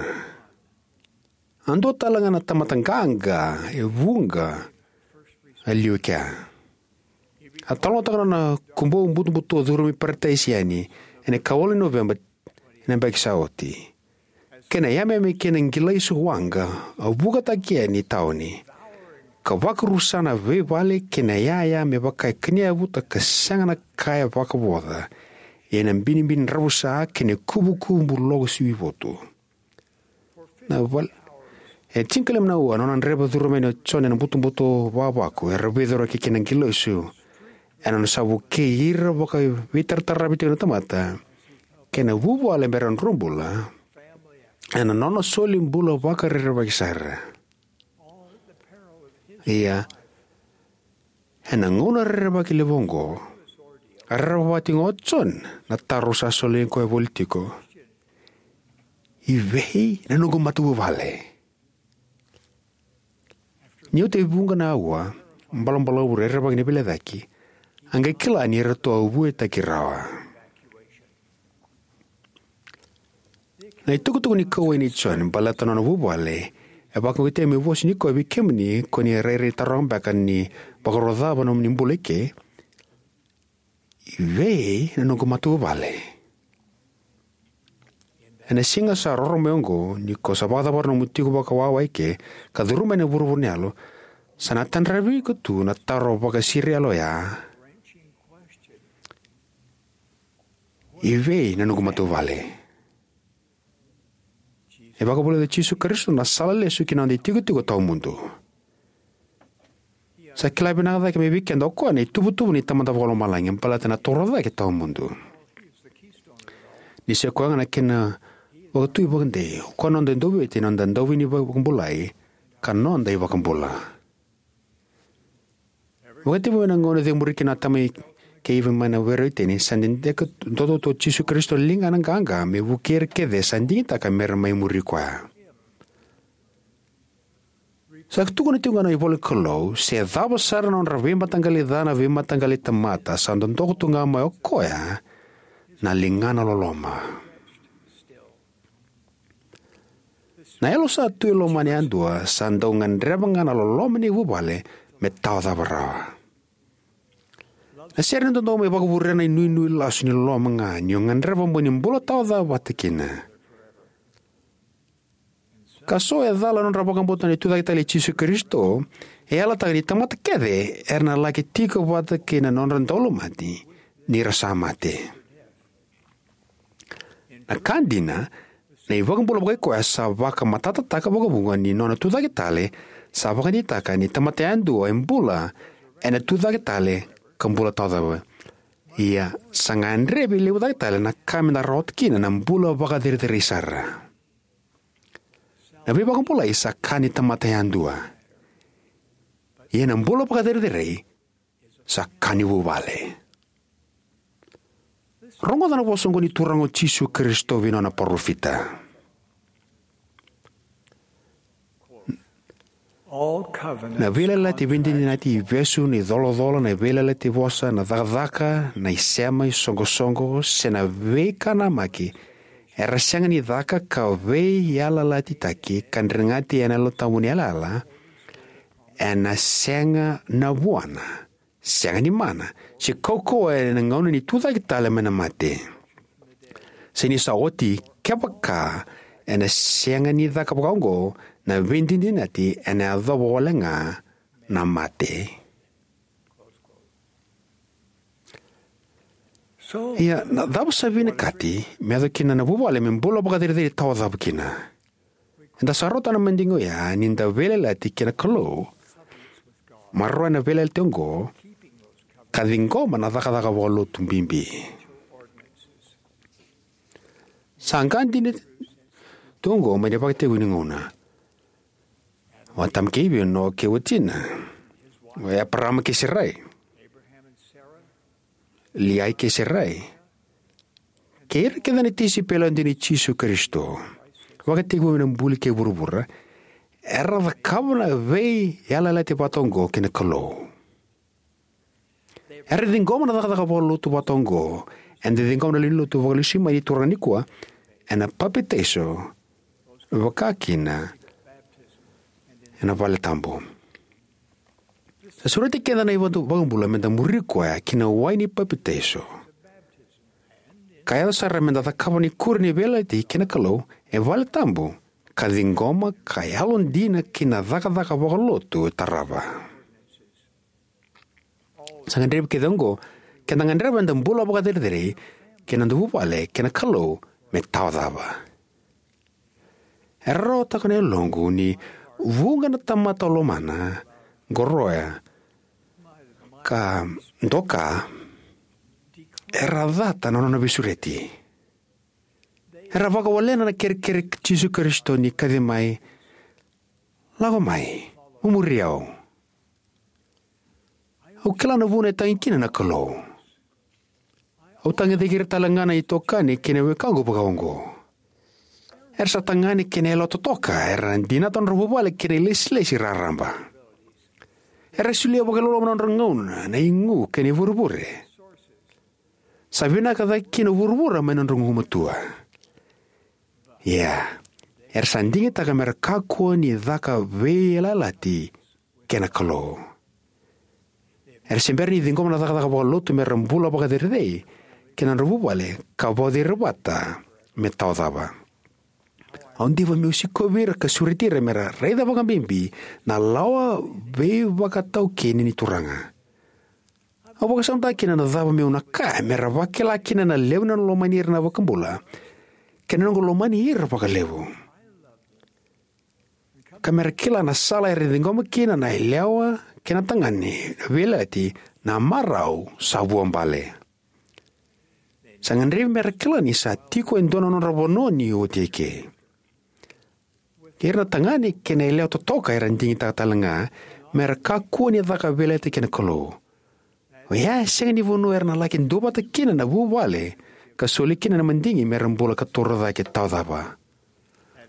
A dua tale ga na tamata qaqa e vuqa a liu e kea. A talanoataka na nona kubou butobuto curumi Parataisi yani ena ikawalu ni Noveba ena yabaki sa oti. Kei na yameyame kei na qilaisu waqa a vukataki yani tauni, ka vakarusa na veivale kei na yaya me vaka e kania yavuta ka sega na ka e vakavoca, ena binibini dravusa kei na kubukubu loko sivi votu. Na val-, e tinikalima na aua, na nona draiva curuma yani o John ena butobuto vavaku era veicuraki kei na qilaisu ena nona sa vukei ira vakaveitarataravi tiko na tamata kei na vuvale me ra drobula ena nona soli bula vakarerevaki sara. Ia, ena gauna rerevaki levu oqo, a rerevaka tiko ga o John na taro sa soli koya voli tiko: "I vei na noqu matavuvale?" Ni oti e vuqa na aua balabalavu rerevaki ni veilecayaki, a qai kila ni ratou a vuetaki rawa. Na itukutuku ni kauwai nei John baleta na nona vuvale e vakaukauwataki meu vosa nikua vei kemuni ko ni rairai taroga beka ni vakarau cava na nomuni bula eke: "I vei na noqu matavuvale?" Ena siga sa roro mai oqo, ni ko sa vakacavara nomu tiko vakawawa eke ka curuma yani na vuravura ni yalo, sa na tadravi iko tu na taro vakasiriyalo oya: "I vei na noqu matavuvale?" E vakavulica o Jisu Karisito na sala lesu ki na noda itikotiko tawamudu. Sa kila vinaka cake mai vei keda o koya na ituvatuva ni Tamada Vakalomalagi baleta na toro cake tawamudu. Ni se koya ga na kena vakatui vakadei, o koya na noda Dauveivueti, na noda Dauveivakabulai, ka noda iVakabula. Vakatekivu mai na gauna cemuri kina o Atama kei Ivi mai na Were o Iteni, sa dede duadua tu o Jisu Karisito na ligana qaqa me vukei ira kece sa digitaka me ra mai muri koya. Sa tukuna tiko ga na ivola ni Kalou, se cava sara na nodra veimataqali ca na veimataqali tamata, sa dodoka tu ga mai o koya na ligana loloma. Na yalo sa tu e lomana yadua sa dau gadreva ga na loloma ni vuvale me tawacava rawa. Na sere ni dodonu me vakavurea na inuinui lasu ni loloma ga ni o gadreva mo ni bula tawacava vata kina. Ka so e cala na nodra vakabauta na tucake tale i Jisu Karisito, e yalataka ni tamata kece era na laki tiko vata kei na nodra daulomani ni ra sa mate. Na ka dina, na iVakabula vakaikoya sa vakamatatataka vakavuqa ni nona tucake tale, sa vakadeitaka ni tamata yadua e bula ena tucake tale ka bula tawacava. Ia, sa gadrevi levu cake tale na ka meda rawata kina na bula vakacerecerei sara. Na veivakabulai sa ka ni tamata yadua. Ia na bula vakacerecerei sa ka ni vuvale. Rogoca na vosa oqo ni Turaga o Jisu Karisito vei nona parofita. Na veiyalayalati veidinadinati, ivesu, na icolacola, na veiyalayalati vosa, na cakacaka, na isema, isoqosoqo, se na veikanamaki, era sega ni caka ka veiyalayalatitaki ka dregati ena Yalo Tabu ni yalayala, ena sega na vuana, sega ni mana, se kaukauwa ena gauna ni tucake tale mai na mate. Se ni sa oti, kevaka ena sega ni caka vakaoqo, na veidinadinati ena yacova wale ga na mate. Ia, na cava sa vinakati me yaco kina na vuvale me bula vakacerecerei tawacava kina? Eda sa rauta na madigi oya ni da veiyalayalati kei na Kalou, maroroya na veiyalayalati oqo, ka ciqoma na cakacaka vakalotu bibi. Sa qa dina tu oqo mai na ivakatekivu ni gauna. O Atama kei Ivi, o Noa kei watina, o Eparama kei Sarai, Liai kei Sarai, kei ira kece na tisaipeli yalodina i Jisu Karisito, vakatekivu mai na buli kei vuravura, era cakava na veiyalayalati vata oqo kei na Kalou. Era ciqoma na cakacaka vakalotu vata oqo eda ciqoma na lewe ni lotu vakalesuimai ni Turaga nikua, ena papitaiso, vakakina ena vale tabu. Sa sureti keda na iVakabula meda muri koya ki na wai ni papitaiso, ka yaco sara meda cakava na ikuri ni veiyalayalati kei na Kalou e vale tabu, ka ciqoma ka yalodina ki na cakacaka vakalotu e tarava. Sa gadrevi kece oqo, keda gadreva eda bula vakacerecerei kei na noda vuvale kei na Kalou, me tawa cava. Era rarawataka na yaloqu ni vuqa na tamata lomana, qoroya, ka doka, era cata na nona veisureti. Era vakawalena na kerekere i Jisu Karisito ni kaci mai, "Lako mai, mo muri au." Au kila na vuna e tagi kina na Kalou. Au tagicaki ira tale ga na itokani kei na wekaqu vakaoqo. Era sa tagane kei na yalewa totoka, era dinata nodra vuvale kei na ilesilesi raraba. Era solia vakailoloma na nodra gauna, na igu kei na ivurevure. Sa vinaka cake kina vuravura mai na nodra gugumatua. Ia, era sa digitaka mera kakua ni caka veiyalayalati kei na Kalou. Era se bera ni ciqoma na cakacaka vakalotu mera bula vakacerecerei kei na nodra vuvale, ka vauci ira vata me tawa cava. Au diva meu sikovi ira ka sureti ira mera raica vakabibi na lawa veivakataukeni ni Turaga. Au vakasamataka kina na cava meu na kaya mera vakila kina na levu ni nona lomani ira na iVakabula, kei na noqu lomani ira vakalevu, ka mera kila na sala era ciqoma kina na yalewa kei na tagane na veiyalayalati, na marau sa vuabale. Sa gadrevi mera kila ni sa tiko e dua na nodra vanua ni oti eke. Ira na tagane kei na yalewa totoka era digitaka tale ga mera kakua ni caka veiyalayalati kei na Kalou. Oya e sega ni vanua era na laki duavata kina na vuvale ka soli kina na madigi mera bula ka torocake tawa cava.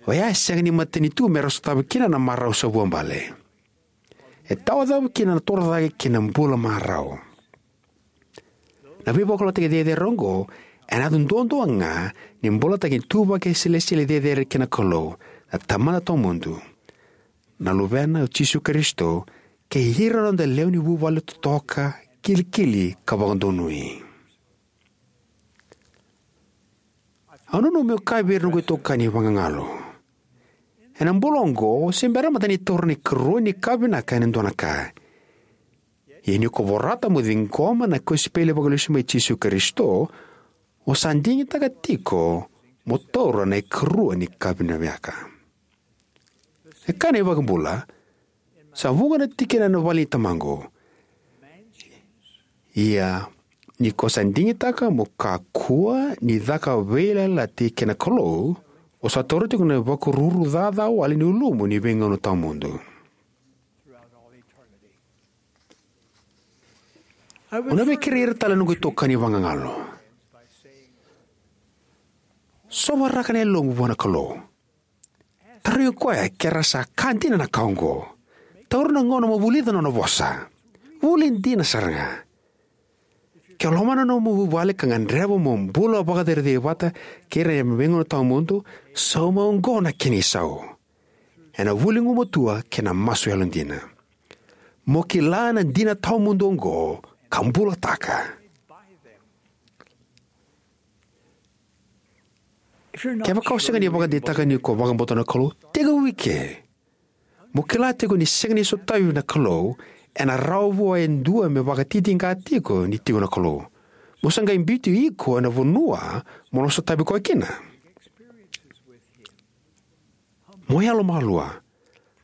Oya e sega ni matanitu mera sotava kina na marau sa vuabale. E tawa cava kina na torocake kei na bula marau. Na veivakalougatataki cecere oqo ena yaco duadua ga ni bolataki ni ituvaki selesitieli cecere kei na Kalou, na Tamada tawamudu, na Luvena o Jisu Karisito, kei ira na noda lewe ni vuvale totoka, kilikili ka vakadonui. Au nanuma meu kaya vei ira na noqu itokani vagagalo, ena bula oqo se bera mada ni taura na ikarua ni ka vinaka ena dua na ka. Ia ni ko vorata mo ciqoma na kosipeli vakalesu mai Jisu Karisito, o sa digitaka tiko mo taura na ikarua ni ka vinaka. E kaya na iVakabula, sa vuqa na tikina ena vale ni Tamaqu. Ia ni ko sa digitaka mo kakua ni caka veiyalayalati kei na Kalou, o sa taura tiko na ivakaruru caca wale ni ulumu ni veigauna tawamudu. Au na via kerei ira tale na noqu itokani vagagalo. Sovaraka na yalomu vua na Kalou. Tarogi koya ke ra sa ka dina na ka oqo. Taura na gauna mo vulica na nona vosa. Vuli dina sara ga. Ke o lomana na nomu vuvale ka gadreva mo bula vakacerecerei vata kei ira ena veigauna tawamudu, sauma oqo na kena isau. Ena vuli gumatua kei na masu yalodina. Mo kila na dina tawamudu oqo ka bulataka. Kevaka o sega ni vakadeitaka ni ko vakabauta na Kalou, tekivu eke. Mo kila tiko ni sega ni sotavi na Kalou, ena rawa vua e dua me vakatitiqa tiko ni tiko na Kalou. Mo sa qai biuti iko ena vanua mo na sotavi koya kina. Mo yalomalua.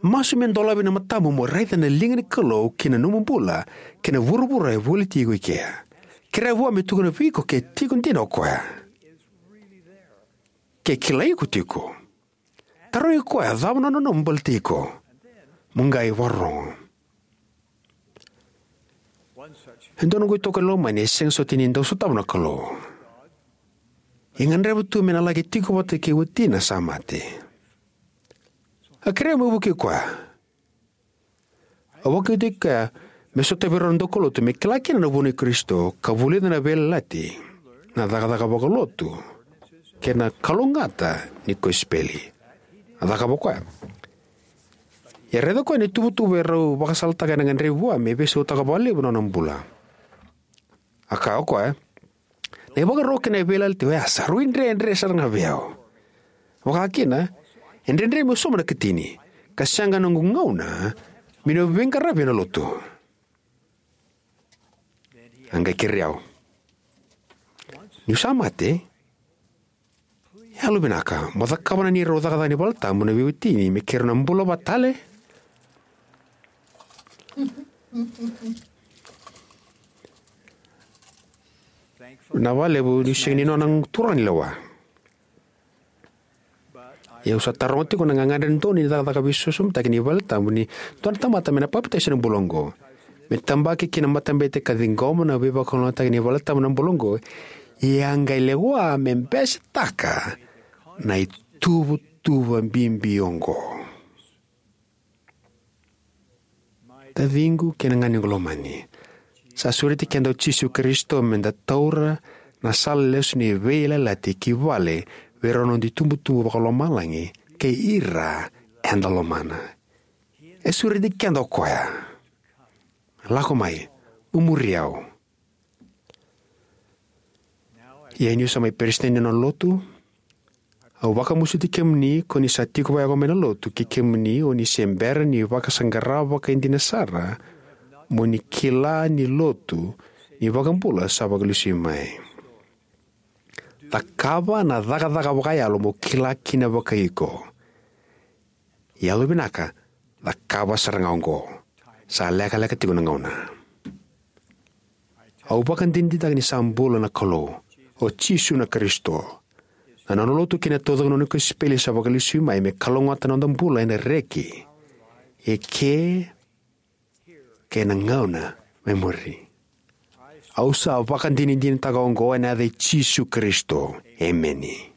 Masu me dolavi na matamu mo raica na liga ni Kalou ki na nomu bula kei na vuravura e voliti iko i kea. Kerea vua me tukuna vei iko ke tiko dina o koya. Ke kilai iko tiko. Tarogi koya cava na nona nanuma baleti iko. Mo qai vakarorogo. E dua noqu itokani lomani e sega soti ni dau sotava na Kalou. E gadreva tu me na laki tiko vata kei watina sa mate. A kerea meu vukei koya. Au vakauqeti koya me sotavi rau na daukaulotu me kila kina na vunau i Karisito ka vulica na veiyalayalati, na cakacaka vakalotu, kei na kalougata ni kosipeli. A cakava o koya. Ia raica o koya na ituvatuva e rau vakasalataka ena gadrevi vua me veisautaka vakalevu na nona bula. A kaya o koya, na ivakarau kei na veiyalayalati oya sa rui dredre sara ga vei au. Vakakina, e dredre meu sauma na ikatini, ka sega na noqu gauna meu na veiqaravi ena lotu. A qai kerei au, niu sa mate, yalovinaka mo cakava na neirau cakacaka ni valetabu na veiwatini me keirau na bula vata tale. Na vakalevu niu sega ni nona turaga ni lewa. Ia au sa taroga tiko na gagadre donu ni cakacaka veisosomitaki ni valetabu ni dua na tamata me na papitaiso ena bula oqo, me tabaki ki na matabete ka ciqoma na veivakalougatataki ni valetabu na bula oqo. Ia a qai lewa me besetaka na ituvatuva bibi oqo. Taciqu kei na ganequ lomani, sa sureti keda o Jisu Karisito me da taura na sala lesu ni veiyalayalati ki vale vei rau na noda itubutubu vakalomalagi kei ira eda lomana. E sureti keda o koya. Lako mai, mo muri au. Ia niu sa mai peresitedi ni nona lotu, au vakamasuti kemuni ko ni sa tiko vayaqo mai na lotu, kei kemuni o ni se bera ni vakasaqara vakaidina sara mo ni kila ni lotu ni iVakabula sa vakalesui mai. Cakava na cakacaka vakayalo mo kila kina vakaiko. Yalovinaka, cakava sara ga oqo. Sa lekaleka tiko na gauna. Au vakadinadinataka ni sa bula na Kalou, o Jisu na Karisito. Na nona lotu kei na taucoko ni nona kosipeli sa vakalesui mai me kalougata na noda bula ena reki, eke, kei na gauna me muri. Au sa vakadinadinataka oqo ena yaca i Jisu Karisito. Emeni.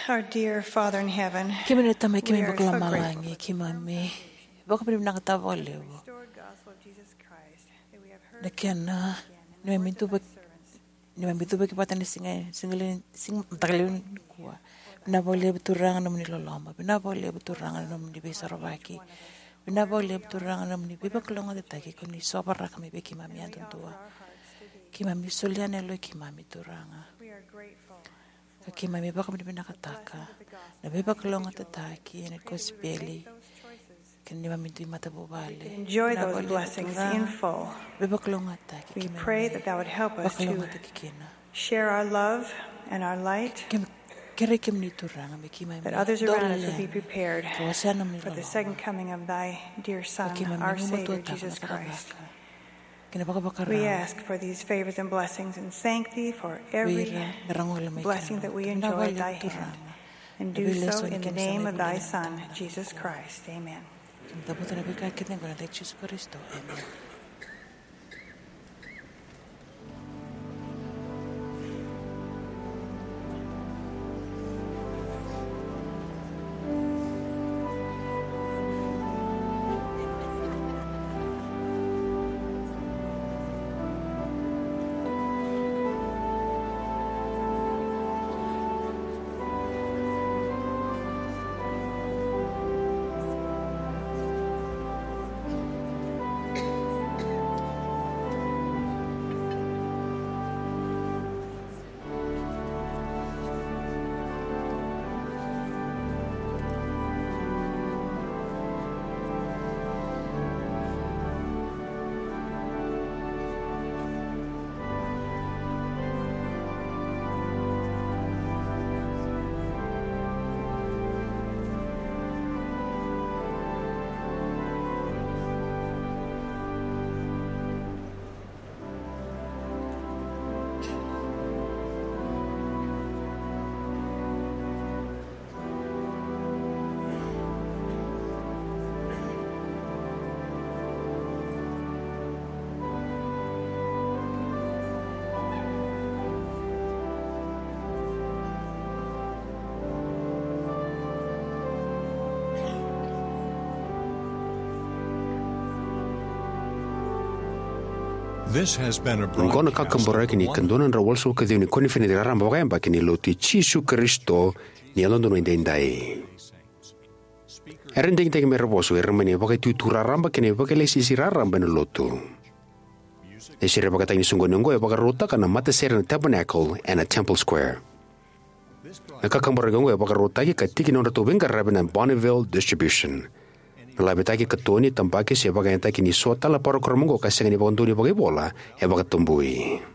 Our dear Father in heaven, kemuni na Tamai, kemuni vakalomalagi, keimami vakavinavinakataka vakalevu na kena ni mami tuva ni mami tuvaki vata ni siga, siga levu, siga mataka levu nikua. Vinaka vakalevu Turaga na nomuni loloma. Vinaka vakalevu Turaga na nomuni veisorovaki. Vinaka vakalevu Turaga na nomuni veivakalougatataki ko ni sovaraka mai vei keimami yadudua. Keimami solia na yaloi keimami Turaga. Ka keimami vakavinavinakataka na veivakalougatataki ena kosipeli. Kei na neimami dui matavuvale. Enjoy those blessings in full. Veivakalougatataki. We pray that that would help us to share our love and our light, kerei kemuni Turaga me keimami that others around us would be prepared for the second coming of thy dear Son, our Savior, Jesus Christ. We ask for these favors and blessings and thank thee for every blessing that we enjoy at thy hand, and do so in the name of thy Son, Jesus Christ. Amen. Oqo na kakaburaki ni ka dua na drau walusagavulu ka ciwa ni koniferedi raraba vakayabaki ni Lotu i Jisu Karisito ni Yalododonu Edaidai. Era digitaki me ra vosa o ira mai na ivakaitutu raraba kei na ivakalesilesi raraba ena Lotu. Na isere vakataki ni soqoni oqo e vakarautaka na matasere na Tabernacle ena Temple Square. Na kakaburaki oqo e vakarautaki ka tiki ni nodratou veiqaravi na Bonneville Distribution. Na lavetaki, katoni, tabaki se vakayagataki ni so tale na parokaramu oqo ka sega ni vakadonui vakaivola e vakatabui.